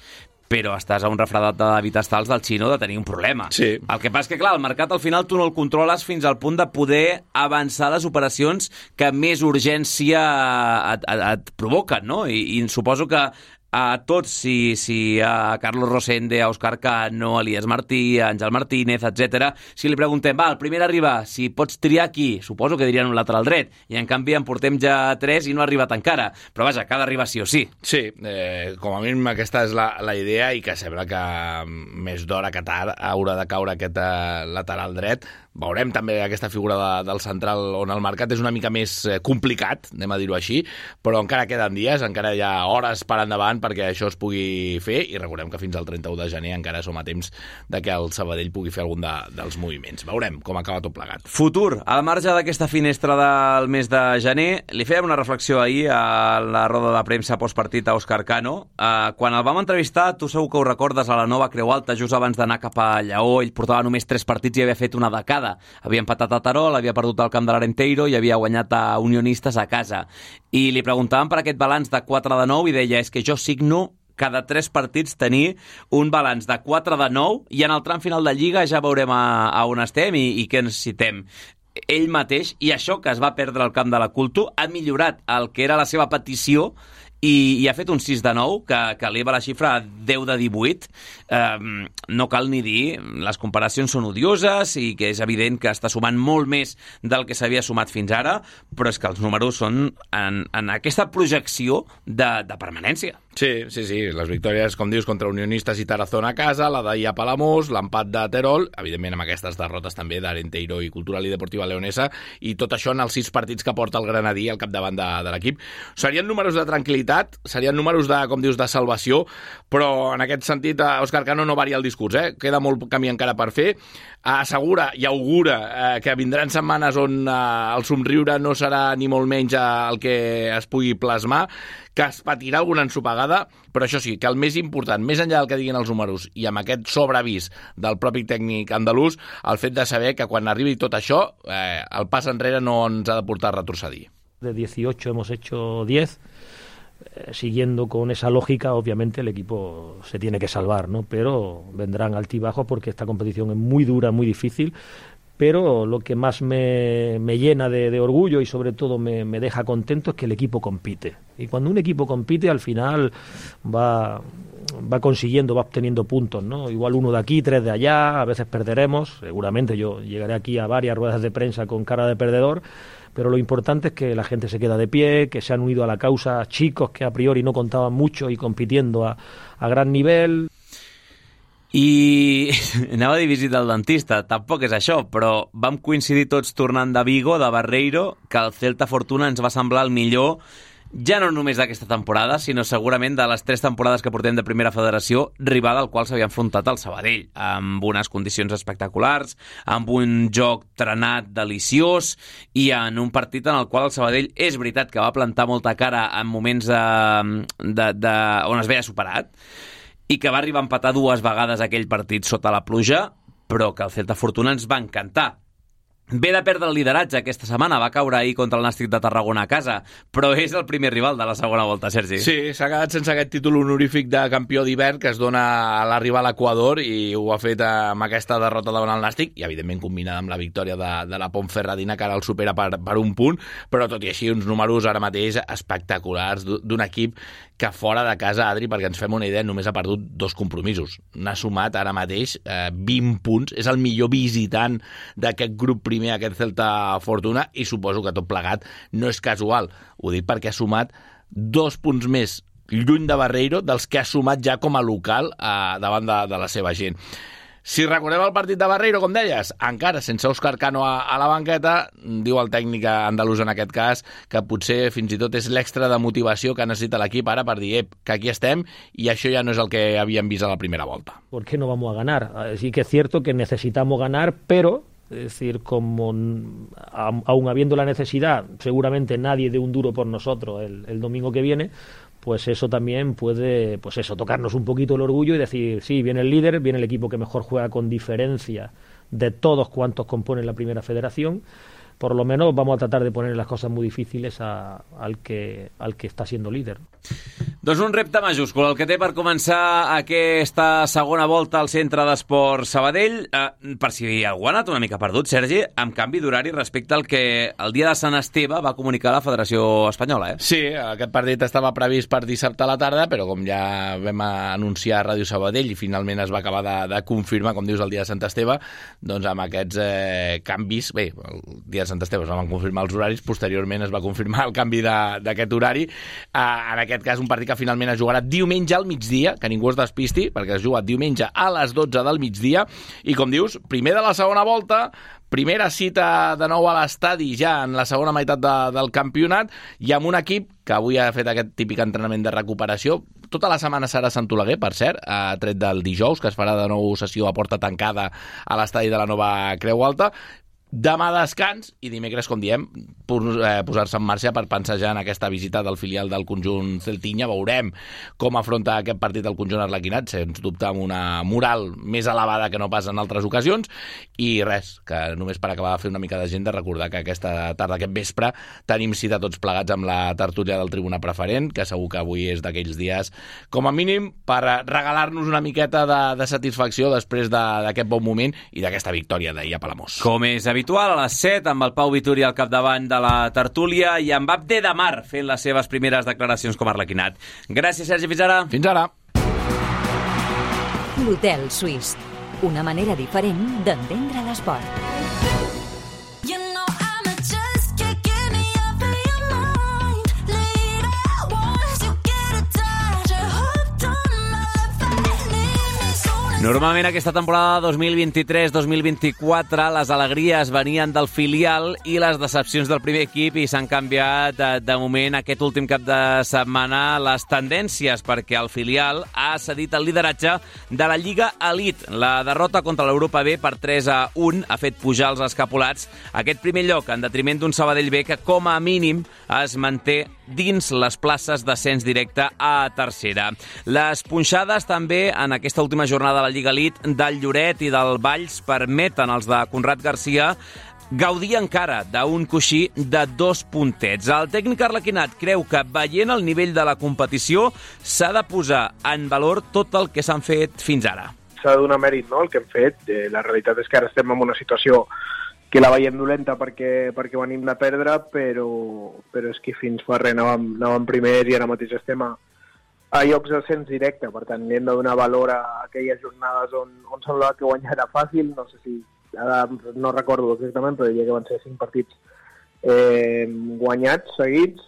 però estàs a un refredat de David Stals del xino de tenir un problema. Sí. El que passa és que, clar, el mercat al final tu no el controles fins al punt de poder avançar les operacions que més urgència et provoquen, no? I suposo que a tots, si a Carlos Rosende, a Òscar Cano, a Elías Martí, a Àngel Martínez, etc., si li preguntem, el primer a arribar, si pots triar aquí, suposo que dirien un lateral dret, i en canvi en portem ja 3 i no ha arribat encara. Però vaja, que ha d'arribar sí o sí. Sí, com a mínim aquesta és la idea, i que sembla que més d'hora que tard haurà de caure aquest lateral dret. Veurem també aquesta figura del central, on el mercat és una mica més complicat, anem a dir-ho així, però encara queden dies, encara hi ha hores per endavant perquè això es pugui fer, i recordem que fins al 31 de gener encara som a temps de que el Sabadell pugui fer algun dels moviments. Veurem com acaba tot plegat. Futur, al marge d'aquesta finestra del mes de gener, li fèiem una reflexió ahir a la roda de premsa postpartit a Òscar Cano. Quan el vam entrevistar, tu segur que ho recordes, a la Nova Creu Alta, just abans d'anar cap a Lleó, ell portava només 3 partits i havia fet una dècada. Havia empatat a Terol, havia perdut al camp de l'Arenteiro i havia guanyat a Unionistes a casa. I li preguntàvem per aquest balanç de 4-9 i deia, és que jo signo cada 3 partits tenir un balanç de 4-9 i en el tram final de Lliga ja veurem a on estem i què necessitem. Ell mateix, i això que es va perdre al camp de la Culto, ha millorat el que era la seva petició i ha fet un 6-9, que eleva la xifra a 10-18. No cal ni dir, les comparacions són odioses i que és evident que està sumant molt més del que s'havia sumat fins ara, però és que els números són en aquesta projecció de permanència. Sí, les victòries, com dius, contra Unionistes i Tarazona a casa, la d'ahir a Palamós, l'empat de Terol, evidentment amb aquestes derrotes també d'Arenteiro i Cultural i Deportiva Leonesa, i tot això en els 6 partits que porta el Granadí al capdavant de l'equip. Serien números de tranquil·litat, serien números de, com dius, de salvació, però en aquest sentit Òscar Cano no varia el discurs, queda molt camí encara per fer. Assegura i augura que vindran setmanes on el somriure no serà ni molt menys el que es pugui plasmar, que es patirà alguna ensopegada, però això sí, que el més important, més enllà del que diguin els números i amb aquest sobreavís del propi tècnic andalús, el fet de saber que quan arribi tot això, el pas enrere no ens ha de portar a retrocedir. De 18 hemos hecho 10. siguiendo con esa lógica, obviamente el equipo se tiene que salvar, ¿no? Pero vendrán altibajos porque esta competición es muy dura, muy difícil. Pero lo que más me llena de orgullo y sobre todo me deja contento es que el equipo compite. Y cuando un equipo compite, al final va consiguiendo, va obteniendo puntos, ¿no? Igual 1 de aquí, 3 de allá, a veces perderemos. Seguramente yo llegaré aquí a varias ruedas de prensa con cara de perdedor, pero lo importante es que la gente se queda de pie, que se han unido a la causa chicos que a priori no contaban mucho y compitiendo a gran nivel. I anava a dir visita al dentista, tampoc és això, però vam coincidir tots tornant de Vigo, de Barreiro, que el Celta Fortuna ens va semblar el millor, ja no només d'aquesta temporada, sinó segurament de les 3 temporades que portem de Primera Federació, rival al qual s'havia enfrontat el Sabadell, amb unes condicions espectaculars, amb un joc trenat deliciós i en un partit en el qual el Sabadell és veritat que va plantar molta cara en moments on es veia superat, i que va arribar a empatar 2 vegades aquell partit sota la pluja, però que el Celta Fortuna ens va encantar. Ve de perdre el lideratge aquesta setmana, va caure ahir contra el Nàstic de Tarragona a casa, però és el primer rival de la segona volta, Sergi. Sí, s'ha quedat sense aquest títol honorífic de campió d'hivern que es dona a l'arribar a l'Equador i ho ha fet amb aquesta derrota davant el Nàstic i, evidentment, combinada amb la victòria de la Ponferradina, que ara el supera per un punt, però tot i així uns números ara mateix espectaculars d'un equip que fora de casa, Adri, perquè ens fem una idea, només ha perdut 2 compromisos. N'ha sumat ara mateix 20 punts. És el millor visitant d'aquest grup primer, aquest Celta Fortuna, i suposo que tot plegat no és casual. Ho dic perquè ha sumat 2 punts més lluny de Barreiro dels que ha sumat ja com a local davant de la seva gent. Si recordem el partit de Barreiro, com deies, encara sense Òscar Cano a la banqueta, diu el tècnic andalús en aquest cas que potser fins i tot és l'extra de motivació que necessita l'equip ara per dir que aquí estem i això ja no és el que havíem vist a la primera volta. ¿Por qué no vamos a ganar? Sí que es cierto que necesitamos ganar, pero es decir, como aún habiendo la necesidad, seguramente nadie dé un duro por nosotros el domingo que viene, pues eso también puede, pues eso, tocarnos un poquito el orgullo y decir, sí, viene el líder, viene el equipo que mejor juega con diferencia de todos cuantos componen la Primera Federación. Por lo menos vamos a tratar de poner las cosas muy difíciles al que està siendo líder. Doncs un repte majúscul, el que té per començar aquesta segona volta al Centre d'Esport Sabadell. Per si algú ha anat una mica perdut, Sergi, amb canvi d'horari respecte al que el dia de Sant Esteve va comunicar la Federació Espanyola. Sí, aquest partit estava previst per dissabte a la tarda, però com ja vam anunciar a Ràdio Sabadell i finalment es va acabar de confirmar, com dius, el dia de Sant Esteve, doncs amb aquests canvis, bé, el dia de Sant Esteve es van confirmar els horaris, posteriorment es va confirmar el canvi d'aquest horari. En aquest cas, un partit que finalment es jugarà diumenge al migdia, que ningú es despisti, perquè es juga diumenge a les 12 del migdia, i com dius, primer de la segona volta, primera cita de nou a l'estadi ja en la segona meitat del campionat, i amb un equip que avui ha fet aquest típic entrenament de recuperació. Tota la setmana serà a Sant Oleguer, per cert, tret del dijous, que es farà de nou sessió a porta tancada a l'estadi de la nova Creu Alta. Demà descans i dimecres, com diem, posar-se en marxa per pensejar en aquesta visita del filial del conjunt celtinya. Veurem com afronta aquest partit el conjunt arlequinat, sens dubte amb una moral més elevada que no pas en altres ocasions. I res, que només per acabar de fer una mica d'agenda, recordar que aquesta tarda, aquest vespre, tenim cita tots plegats amb la tertúlia del Tribuna Preferent, que segur que avui és d'aquells dies, com a mínim, per regalar-nos una miqueta de satisfacció després d'aquest bon moment i d'aquesta victòria d'ahir a Palamós. Com és habitual, a les 7, amb el Pau Vituri al capdavant de la tertúlia i amb Abde Damar fent les seves primeres declaracions com a arlequinat. Gràcies, Sergi. Fins ara. Fins ara. L'Hotel Suís. Una manera diferent d'entendre l'esport. Normalment aquesta temporada 2023-2024 les alegries venien del filial i les decepcions del primer equip i s'han canviat de moment aquest últim cap de setmana les tendències perquè el filial ha cedit el lideratge de la Lliga Elite. La derrota contra l'Europa B per 3-1 ha fet pujar els escapolats a aquest primer lloc en detriment d'un Sabadell B que com a mínim es manté dins les places d'ascens directe a tercera. Les punxades també en aquesta última jornada de la Lliga Lliga Elite del Lloret i del Valls permeten als de Conrad Garcia gaudir encara d'un coixí de 2 puntets. El tècnic arlequinat creu que, veient el nivell de la competició, s'ha de posar en valor tot el que s'han fet fins ara. S'ha de donar mèrit, no?, el que hem fet. La realitat és que ara estem en una situació que la veiem dolenta perquè venim de perdre, però és que fins fa res anàvem primers i ara mateix estem a llocs d'ascens directe. Per tant, li hem de donar valor a aquelles jornades on semblava que guanyar era fàcil. No sé si ara no recordo exactament, però diria que van ser 5 partits guanyats seguits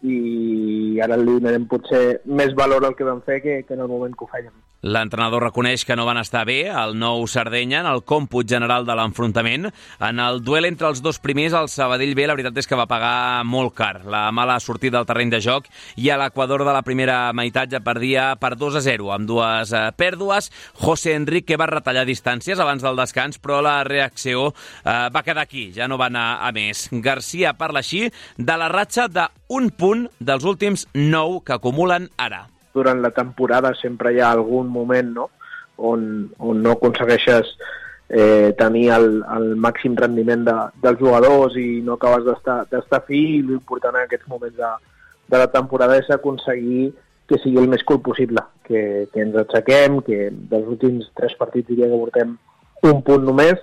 i ara li donarem potser més valor al que vam fer que en el moment que ho fèiem. L'entrenador reconeix que no van estar bé el Nou Sardenya en el còmput general de l'enfrontament. En el duel entre els dos primers, el Sabadell B, la veritat és que va pagar molt car la mala sortida del terreny de joc i a l'equador de la primera meitat ja perdia per 2-0 amb 2 pèrdues. José Enrique va retallar distàncies abans del descans, però la reacció va quedar aquí, ja no va anar a més. Garcia parla així de la ratxa d'un punt dels últims 9 que acumulen ara. Durant la temporada sempre hi ha algun moment, no?, on no aconsegueixes tenir el màxim rendiment dels jugadors i no acabes d'estar fi, i l'important en aquests moments de la temporada és aconseguir que sigui el més cool possible, que ens aixequem, que dels últims 3 partits diria que portem 1 punt només,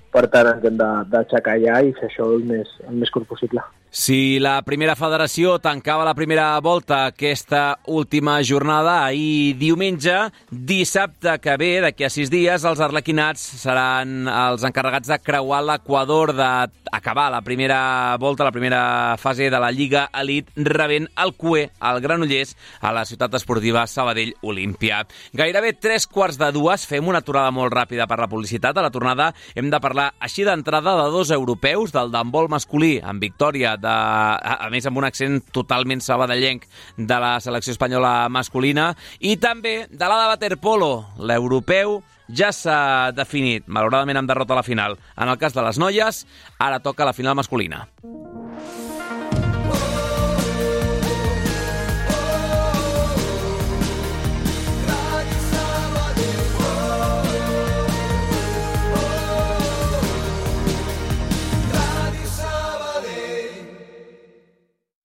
per tant ens hem d'aixecar ja i fer això el més curt possible. Si la primera federació tancava la primera volta aquesta última jornada ahir diumenge, dissabte que ve, d'aquí a 6 dies, els arlequinats seran els encarregats de creuar l'equador, d'acabar la primera volta, la primera fase de la Lliga Elite, rebent el CUE, el Granollers, a la ciutat esportiva Sabadell Olímpia. Gairebé 3:15, fem una aturada molt ràpida per la publicitat. A la tornada hem de parlar així d'entrada de 2 europeus, del d'handbol masculí, amb victòria a més amb un accent totalment sabadellenc de la selecció espanyola masculina, i també de la de waterpolo. L'europeu ja s'ha definit, malauradament amb derrota a la final. En el cas de les noies, ara toca la final masculina.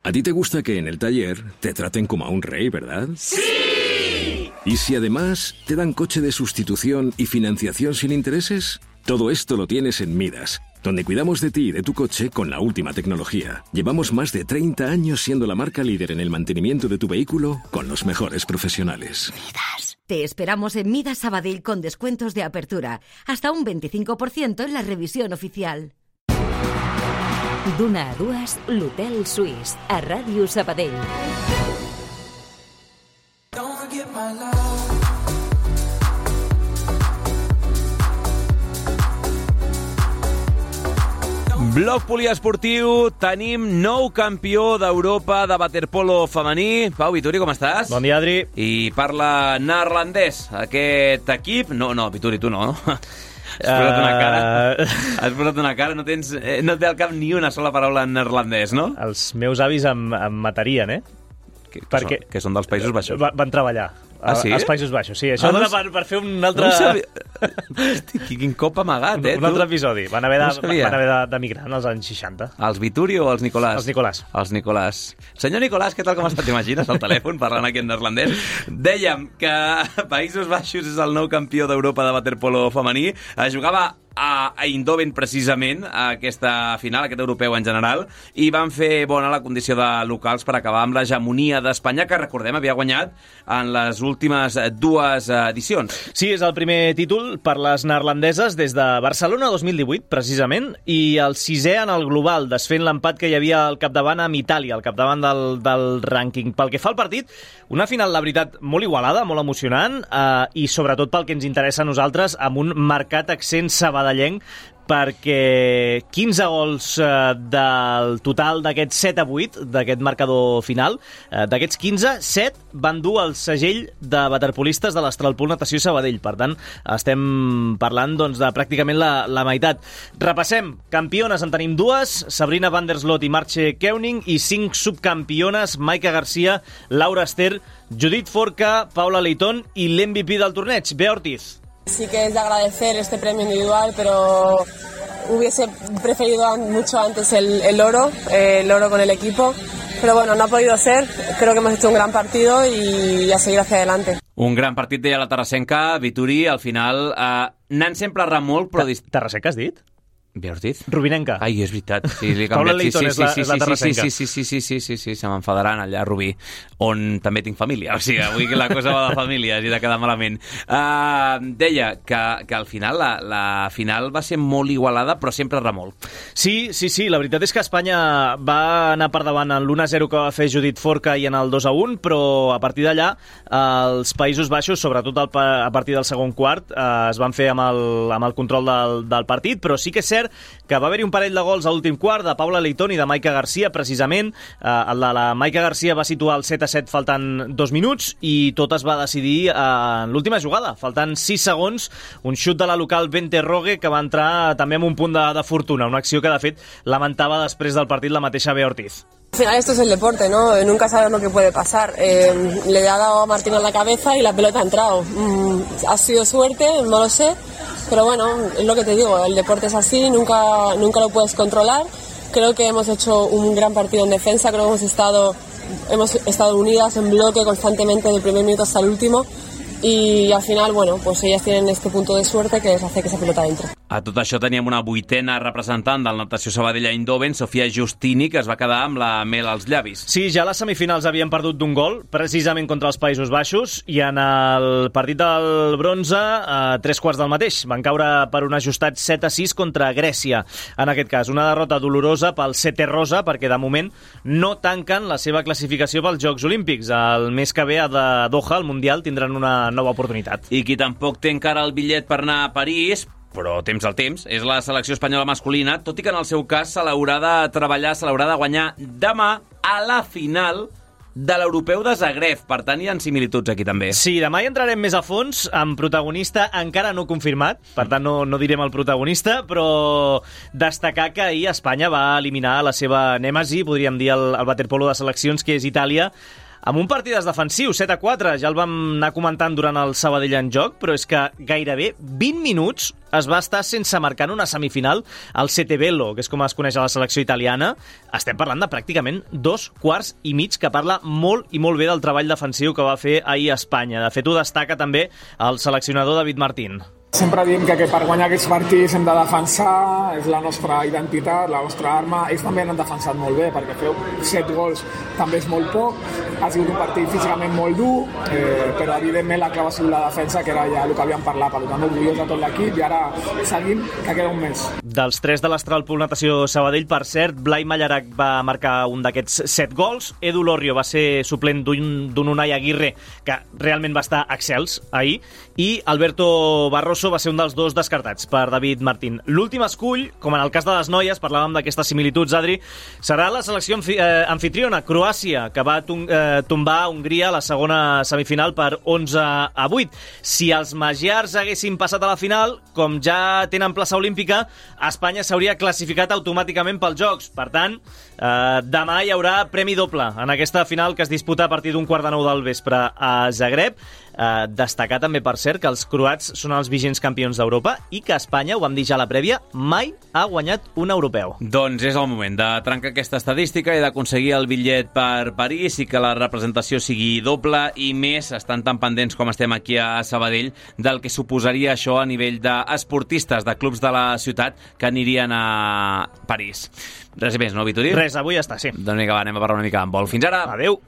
A ti te gusta que en el taller te traten como a un rey, ¿verdad? ¡Sí! ¿Y si además te dan coche de sustitución y financiación sin intereses? Todo esto lo tienes en Midas, donde cuidamos de ti y de tu coche con la última tecnología. Llevamos más de 30 años siendo la marca líder en el mantenimiento de tu vehículo con los mejores profesionales. Midas. Te esperamos en Midas Sabadell con descuentos de apertura, hasta un 25% en la revisión oficial. D'una a 2, l'Hotel Suís, a Ràdio Sabadell. Bloc poliesportiu, tenim nou campió d'Europa de waterpolo femení. Pau Vituri, com estàs? Bon dia, Adri. I parla neerlandès, aquest equip. No, Vituri, tu no. Has posat una cara, no et ve al cap ni una sola paraula en neerlandès, no? Els meus avis em matarien, eh? Que són dels Països Baixos. Van treballar. Ah, sí? Als Països Baixos, sí. Això dona per fer un altre... Hosti, quin cop amagat, un altre episodi. Van haver d'emigrar en els anys 60. Els Vituri o els Nicolàs? Els Nicolàs. Els Nicolàs. Senyor Nicolàs, què tal com està? T'imagines al telèfon parlant aquí en neerlandès? Dèiem que Països Baixos és el nou campió d'Europa de waterpolo femení. Jugava a Eindhoven, precisament, a aquesta final, aquest europeu en general, i van fer bona la condició de locals per acabar amb l'hegemonia d'Espanya, que, recordem, havia guanyat en les últimes 2 edicions. Sí, és el primer títol per les neerlandeses des de Barcelona 2018, precisament, i el 6è en el global, desfent l'empat que hi havia al capdavant amb Itàlia, al capdavant del rànquing. Pel que fa al partit, una final, la veritat, molt igualada, molt emocionant, i sobretot pel que ens interessa a nosaltres, amb un marcat accent sabadellenc, perquè 15 gols del total d'aquests 7-8, d'aquest marcador final, d'aquests 15, 7 van dur el segell de waterpolistes de l'Astralpool Natació Sabadell. Per tant, estem parlant de pràcticament la meitat. Repassem. Campiones en tenim 2, Sabrina van der Sloot i Marche Keuning, i 5 subcampiones, Maika Garcia, Laura Ester, Judit Forca, Paula Leitón i l'MVP del torneig, Bea Ortiz. Sí que es de agradecer este premio individual, pero hubiese preferido mucho antes el oro con el equipo. Però bueno, no ha podido ser. Creo que hemos hecho un gran partido y a seguir hacia adelante. Un gran partit, deia la Tarrasenca. Vituri, al final, n'han sempre errat molt, però... Tarrasenca has dit? Bé, has dit? Rubinenca. Ai, és veritat. Sí, Paula Leighton és la Tarrasenca. Sí, se m'enfadaran allà a Rubí, on també tinc família. O sigui, avui la cosa va de família, hagi de quedar malament. Deia que al final la final va ser molt igualada, però sempre remolc. Sí, la veritat és que Espanya va anar per davant en l'1-0 que va fer Judit Forca i en el 2-1, però a partir d'allà els Països Baixos, sobretot a partir del segon quart, es van fer amb el control del partit, però sí que és cert que va haver-hi un parell de gols a l'últim quart de Paula Leighton i de Maika Garcia, precisament. La Maika Garcia va situar el 7-7 faltant 2 minuts i tot es va decidir en l'última jugada, faltant 6 segons, un xut de la local Bente Rogue que va entrar també amb un punt de fortuna, una acció que de fet lamentava després del partit la mateixa Bea Ortiz. Al final esto es el deporte, ¿no? Nunca sabes lo que puede pasar. Le ha dado a Martín en la cabeza y la pelota ha entrado. Ha sido suerte, no lo sé, pero bueno, es lo que te digo, el deporte es así, nunca lo puedes controlar. Creo que hemos hecho un gran partido en defensa, creo que hemos estado unidas en bloque constantemente desde el primer minuto hasta el último. Y al final, bueno, pues ellas tienen este punto de suerte que les hace que esa pelota entre. A tot això teníem una 8a representant del Natació Sabadell Eindhoven, Sofia Justini, que es va quedar amb la mel als llavis. Sí, ja a les semifinals havien perdut d'un gol, precisament contra els Països Baixos, i en el partit del bronze, a 3/4 del mateix. Van caure per un ajustat 7-6 contra Grècia. En aquest cas, una derrota dolorosa pel Sete Rosa, perquè de moment no tanquen la seva classificació pels Jocs Olímpics. El mes que ve a Doha, al Mundial, tindran una nova oportunitat. I qui tampoc té encara el bitllet per anar a París, però temps al temps, és la selecció espanyola masculina, tot i que en el seu cas se l'haurà de treballar, se l'haurà de guanyar demà a la final de l'Europeu de Zagreb. Per tant, hi ha similituds aquí també. Sí, demà hi entrarem més a fons amb protagonista encara no confirmat, per tant no direm el protagonista, però destacar que ahir Espanya va eliminar la seva nèmesi, podríem dir el waterpolo de seleccions, que és Itàlia, amb un partit defensiu, 7-4, ja el vam anar comentant durant el Sabadell en joc, però és que gairebé 20 minuts es va estar sense marcar en una semifinal al Sete Bello, que és com es coneix a la selecció italiana. Estem parlant de pràcticament 2 quarts i mig, que parla molt i molt bé del treball defensiu que va fer ahir a Espanya. De fet, ho destaca també el seleccionador David Martín. Sempre diem que per guanyar aquests partits hem de defensar, és la nostra identitat, la nostra arma. Ells també han defensat molt bé, perquè feu 7 gols també és molt poc. Ha sigut un partit físicament molt dur, però evidentment la clau ha sigut la defensa, que era ja el que havíem parlat, per tant orgullós de tot l'equip, i ara seguim, que queda un mes. Dels 3 de l'Astralpool Natació Sabadell, per cert, Blai Mallarac va marcar un d'aquests 7 gols, Edu Lorrio va ser suplent d'un Unai Aguirre, que realment va estar excels ahir, i Alberto Barroso va ser un dels 2 descartats per David Martín. L'últim escull, com en el cas de les noies, parlàvem d'aquestes similituds, Adri, serà la selecció anfitriona, Croàcia, que va tombar Hongria a la segona semifinal per 11-8. Si els magiars haguessin passat a la final, com ja tenen plaça olímpica, Espanya s'hauria classificat automàticament pels Jocs. Per tant, demà hi haurà premi doble en aquesta final que es disputa a partir d'un 8:45 del vespre a Zagreb. Destacar també, per cert, que els croats són els vigents campions d'Europa i que Espanya, ho vam dir ja a la prèvia, mai ha guanyat un europeu. Doncs és el moment de trencar aquesta estadística i d'aconseguir el bitllet per París i que la representació sigui doble, i més estan tan pendents com estem aquí a Sabadell del que suposaria això a nivell d'esportistes de clubs de la ciutat que anirien a París. Res més, no, Vituri? Res, avui ja està, sí. Doncs vinga, va, anem a parlar una mica d'handbol. Fins ara! Adéu!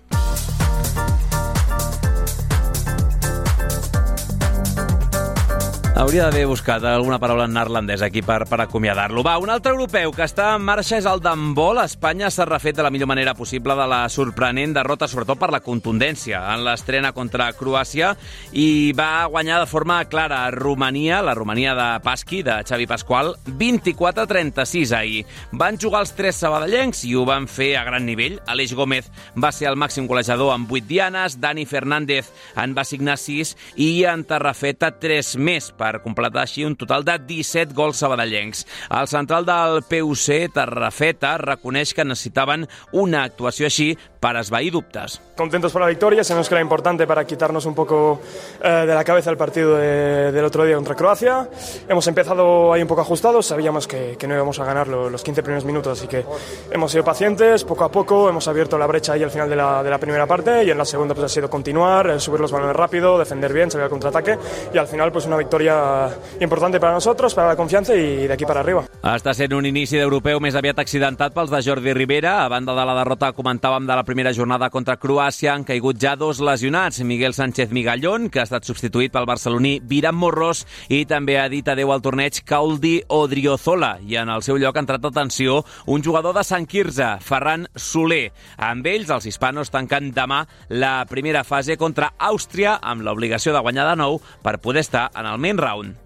Hauria d'haver buscat alguna paraula en neerlandès aquí per acomiadar-lo. Va, un altre europeu que està en marxa és el d'handbol. Espanya s'ha refet de la millor manera possible de la sorprenent derrota, sobretot per la contundència en l'estrena contra Croàcia, i va guanyar de forma clara a Romania, la Romania de Pasqui, de Xavi Pasqual, 24-36 ahir. Van jugar els 3 sabadellencs i ho van fer a gran nivell. Aleix Gómez va ser el màxim golejador amb 8 dianes, Dani Fernández en va signar 6 i en Tarrafeta 3 més, per completar així un total de 17 gols sabadellencs. El central del PUC, Tarrafeta, reconeix que necessitaven una actuació així per esvair dubtes. Contentos por la victoria, sabemos que era importante para quitarnos un poco de la cabeza el partido del otro día contra Croacia. Hemos empezado ahí un poco ajustados, sabíamos que no íbamos a ganar los 15 primeros minutos, así que hemos sido pacientes, poco a poco hemos abierto la brecha ahí al final de la primera parte y en la segunda pues ha sido continuar, subir los balones rápido, defender bien, salir al contraataque y al final pues una victoria importante para nosotros, para la confianza y de aquí para arriba. Està sent un inici d'europeu més aviat accidentat pels de Jordi Rivera. A banda de la derrota, comentàvem, de la primera jornada contra Croàcia, han caigut ja 2 lesionats. Miguel Sánchez Migallón, que ha estat substituït pel barceloní Viram Morros, i també ha dit adeu al torneig Kauldi Odriozola. I en el seu lloc ha entrat a tensió un jugador de Sant Quirze, Ferran Soler. Amb ells, els hispanos tanquen demà la primera fase contra Àustria, amb l'obligació de guanyar de nou per poder estar en el main round.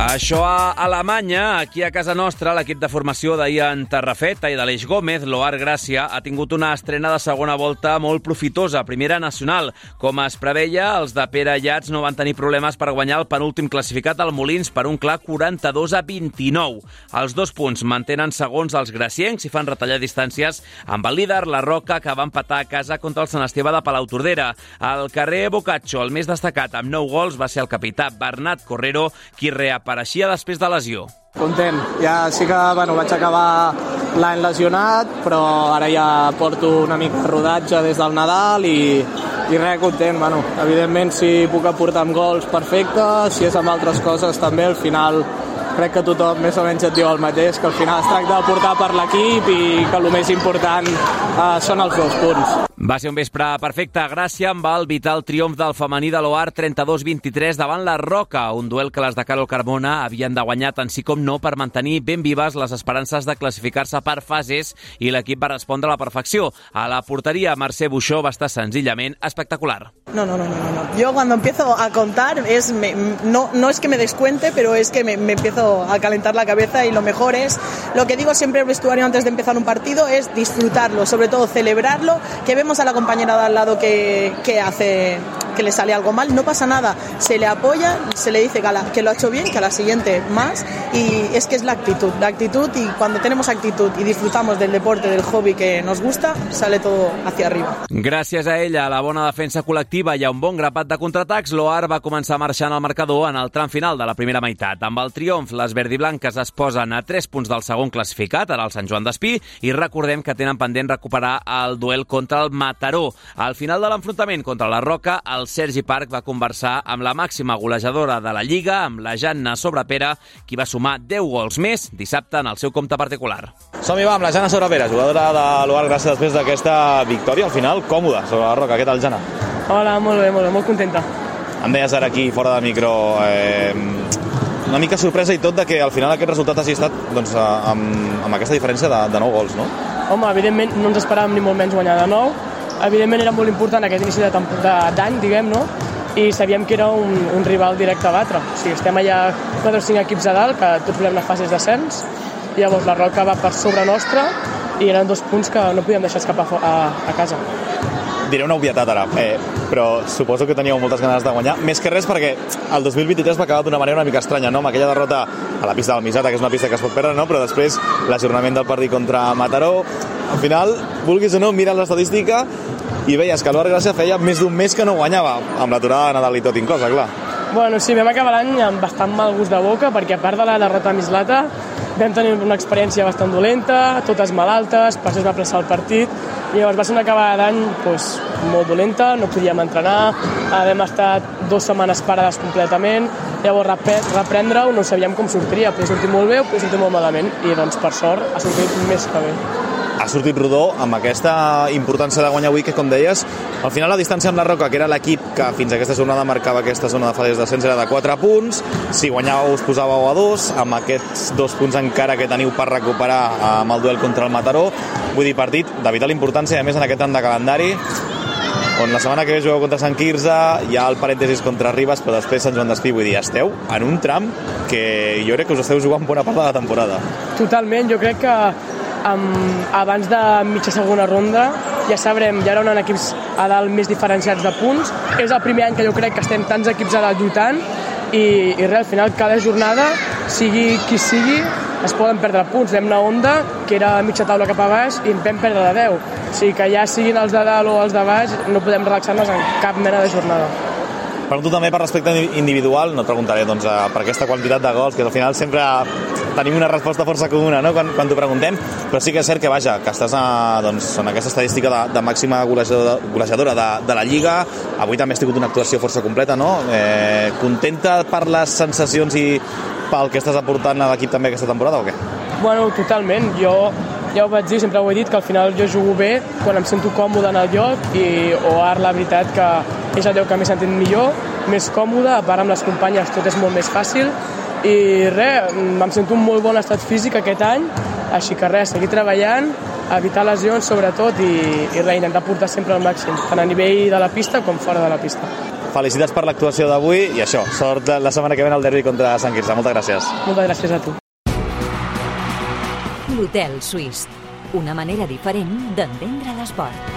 Això a Alemanya. Aquí a casa nostra, l'equip de formació d'Ian Tarrafeta i de l'Eix Gómez, l'Oar Gràcia, ha tingut una estrena de segona volta molt profitosa, primera nacional. Com es preveia, els de Pere Llats no van tenir problemes per guanyar el penúltim classificat al Molins per un clar 42-29. Els 2 punts mantenen segons els graciencs i fan retallar distàncies amb el líder, la Roca, que va empatar a casa contra el Sant Esteve de Palautordera. Al carrer Boccaccio, el més destacat amb 9 gols, va ser el capità Bernat Correro, qui reapareixia després de lesió. Content. Ja sí que vaig acabar l'any lesionat, però ara ja porto una mica de rodatge des del Nadal i res, content. Evidentment, si puc aportar amb gols, perfecte. Si és amb altres coses, també. Al final crec que tothom més o menys et diu el mateix, que al final es tracta de portar per l'equip i que el més important són els 2 punts. Va ser un vespre perfecte a Gràcia amb el vital triomf del femení de l'Oar 32-23 davant la Roca, un duel que les de Carol Carmona havien de guanyar tant sí com no per mantenir ben vives les esperances de classificar-se per fases, i l'equip va respondre a la perfecció. A la porteria, Mercè Buixó va estar senzillament espectacular. No. Yo cuando empiezo a contar, no es que me descuente, pero es que me empiezo a calentar la cabeza, y lo mejor es, lo que digo siempre al vestuario antes de empezar un partido, es disfrutarlo, sobre todo celebrarlo, que vemos a la compañera de al lado que hace, que le sale algo mal, no pasa nada, se le apoya, se le dice que lo ha hecho bien, que a la siguiente más, y es que es la actitud, y cuando tenemos actitud y disfrutamos del deporte, del hobby que nos gusta, sale todo hacia arriba. Gràcies a ella, a la bona defensa col·lectiva i a un bon grapat de contraatacs, l'Oar va començar marxant al marcador en el tram final de la primera meitat. Amb el triomf, les verdiblanques es posen a 3 punts del segon classificat, ara el Sant Joan d'Espí, i recordem que tenen pendent recuperar el duel contra el Mataró. Al final de l'enfrontament contra la Roca, el Sergi Parc va conversar amb la màxima golejadora de la Lliga, amb la Janna Sobrepera, qui va sumar 10 gols més dissabte en el seu compte particular. Som-hi, va, amb la Janna Sobrepera, jugadora de l'Oar Gràcia després d'aquesta victòria, al final còmoda sobre la Roca. Què tal, Janna? Hola, molt bé, molt contenta. Em deies ara aquí, fora de micro, una mica sorpresa i tot de que al final aquest resultat hagi estat amb aquesta diferència de 9 gols, no? Home, evidentment no ens esperàvem ni molt menys guanyar de 9. Evidentment era molt important aquest inici d'any, diguem, no? I sabíem que era un rival directe a batre. O sigui, estem allà 4 o 5 equips a dalt, que tots volem anar a fases d'ascens, i llavors la Roca va per sobre nostra i eren 2 punts que no podíem deixar escapar a casa. Diré una obvietat ara, però suposo que teníeu moltes ganes de guanyar, més que res perquè el 2023 va acabar d'una manera una mica estranya, no? Amb aquella derrota a la pista del Misata, que és una pista que es pot perdre, no? Però després l'ajornament del partit contra Mataró. Al final, vulguis o no, mira l'estadística i veies que l'Oar Gràcia feia més d'un mes que no guanyava, amb l'aturada de Nadal i tot inclosa, clar. Bueno, sí, vam acabar l'any amb bastant mal gust de boca, perquè a part de la derrota a Mislata vam tenir una experiència bastant dolenta, totes malaltes, per això es va apressar el partit, i llavors va ser una acabada d'any molt dolenta, no podíem entrenar, vam estar 2 setmanes parades completament, llavors reprendre-ho no sabíem com sortiria, podia sortir molt bé o podia sortir molt malament, i doncs per sort ha sortit més que bé. Ha sortit rodó amb aquesta importància de guanyar avui, que com deies, al final la distància amb la Roca, que era l'equip que fins a aquesta jornada marcava aquesta zona de fases d'ascens, era de 4 punts, si guanyàveu us posàveu a 2, amb aquests 2 punts encara que teniu per recuperar amb el duel contra el Mataró, vull dir, partit de vital importància, a més en aquest tram de calendari, on la setmana que ve jugueu contra Sant Quirze, hi ha el parèntesis contra Ribes, però després Sant Joan d'Espí, vull dir, esteu en un tram que jo crec que us esteu jugant bona part de la temporada. Totalment, jo crec que abans de mitja segona ronda ja sabrem, ja eren equips a dalt més diferenciats de punts, és el primer any que jo crec que estem tants equips a dalt lluitant i res, al final cada jornada, sigui qui sigui, es poden perdre punts. Vam anar a Onda, que era mitja taula cap a baix, i en vam perdre de 10. O sigui que ja siguin els de dalt o els de baix, no podem relaxar-nos en cap mena de jornada. Per tu també, per respecte individual, no et preguntaré per aquesta quantitat de gols, que al final sempre tenim una resposta força comuna, no?, quan t'ho preguntem, però sí que és cert que, vaja, que estàs en aquesta estadística de màxima golejadora de la Lliga. Avui també has tingut una actuació força completa, no? Contenta per les sensacions i pel que estàs aportant a l'equip també aquesta temporada o què? Bueno, totalment. Jo ja ho vaig dir, sempre ho he dit, que al final jo jugo bé quan em sento còmode en el lloc o ara la veritat que és el lloc que m'he sentit millor, més còmode, a part amb les companyes tot és molt més fàcil i res, em sento un molt bon estat físic aquest any, així que res, seguir treballant, evitar lesions sobretot i res, intentar portar sempre al màxim, tant a nivell de la pista com fora de la pista. Felicitats per l'actuació d'avui i això, sort la setmana que ve al derbi contra Sant Quirze. Moltes gràcies. Moltes gràcies a tu. L'Hotel Suís, una manera diferent d'entendre l'esport.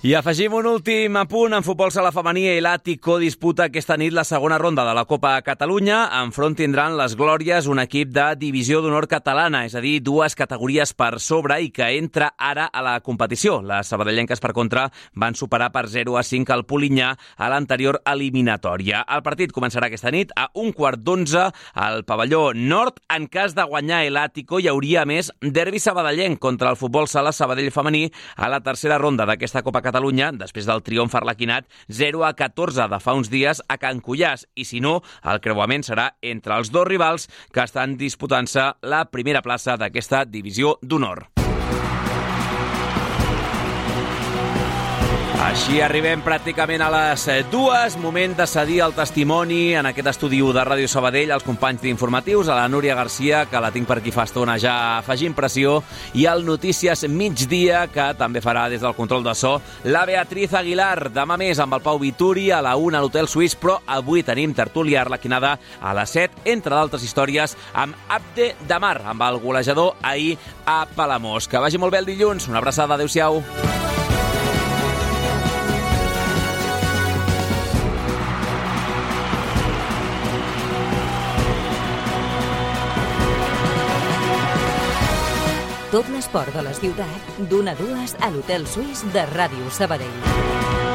I afegim un últim apunt. En futbol sala femení, el Àtico disputa aquesta nit la segona ronda de la Copa Catalunya. Enfront tindran les Glòries, un equip de divisió d'honor catalana, és a dir, 2 categories per sobre i que entra ara a la competició. Les sabadellenques, per contra, van superar per 0-5 al Polinyà a l'anterior eliminatòria. El partit començarà aquesta nit a 11:15 al pavelló nord. En cas de guanyar el Àtico, hi hauria més derbi sabadellenc contra el futbol sala Sabadell femení a la tercera ronda d'aquesta Copa Catalunya, després del triomf arlequinat 0-14 de fa uns dies a Can Cullàs. I si no, el creuament serà entre els dos rivals que estan disputant-se la primera plaça d'aquesta divisió d'honor. Així arribem pràcticament a les 2. Moment de cedir el testimoni en aquest estudi de Ràdio Sabadell als companys d'informatius, a la Núria Garcia, que la tinc per aquí fa estona ja afegint pressió, i al Notícies Migdia, que també farà des del control de so la Beatriz Aguilar. Demà més amb el Pau Vituri a la 1 a l'Hotel Suís, però avui tenim tertúlia arlequinada a les 7, entre d'altres històries, amb Abde Damar, amb el golejador ahir a Palamós. Que vagi molt bé el dilluns. Una abraçada. Adéu-siau. Tot l'esport de la ciutat, d'1 a 2 a l'Hotel Suís de Ràdio Sabadell.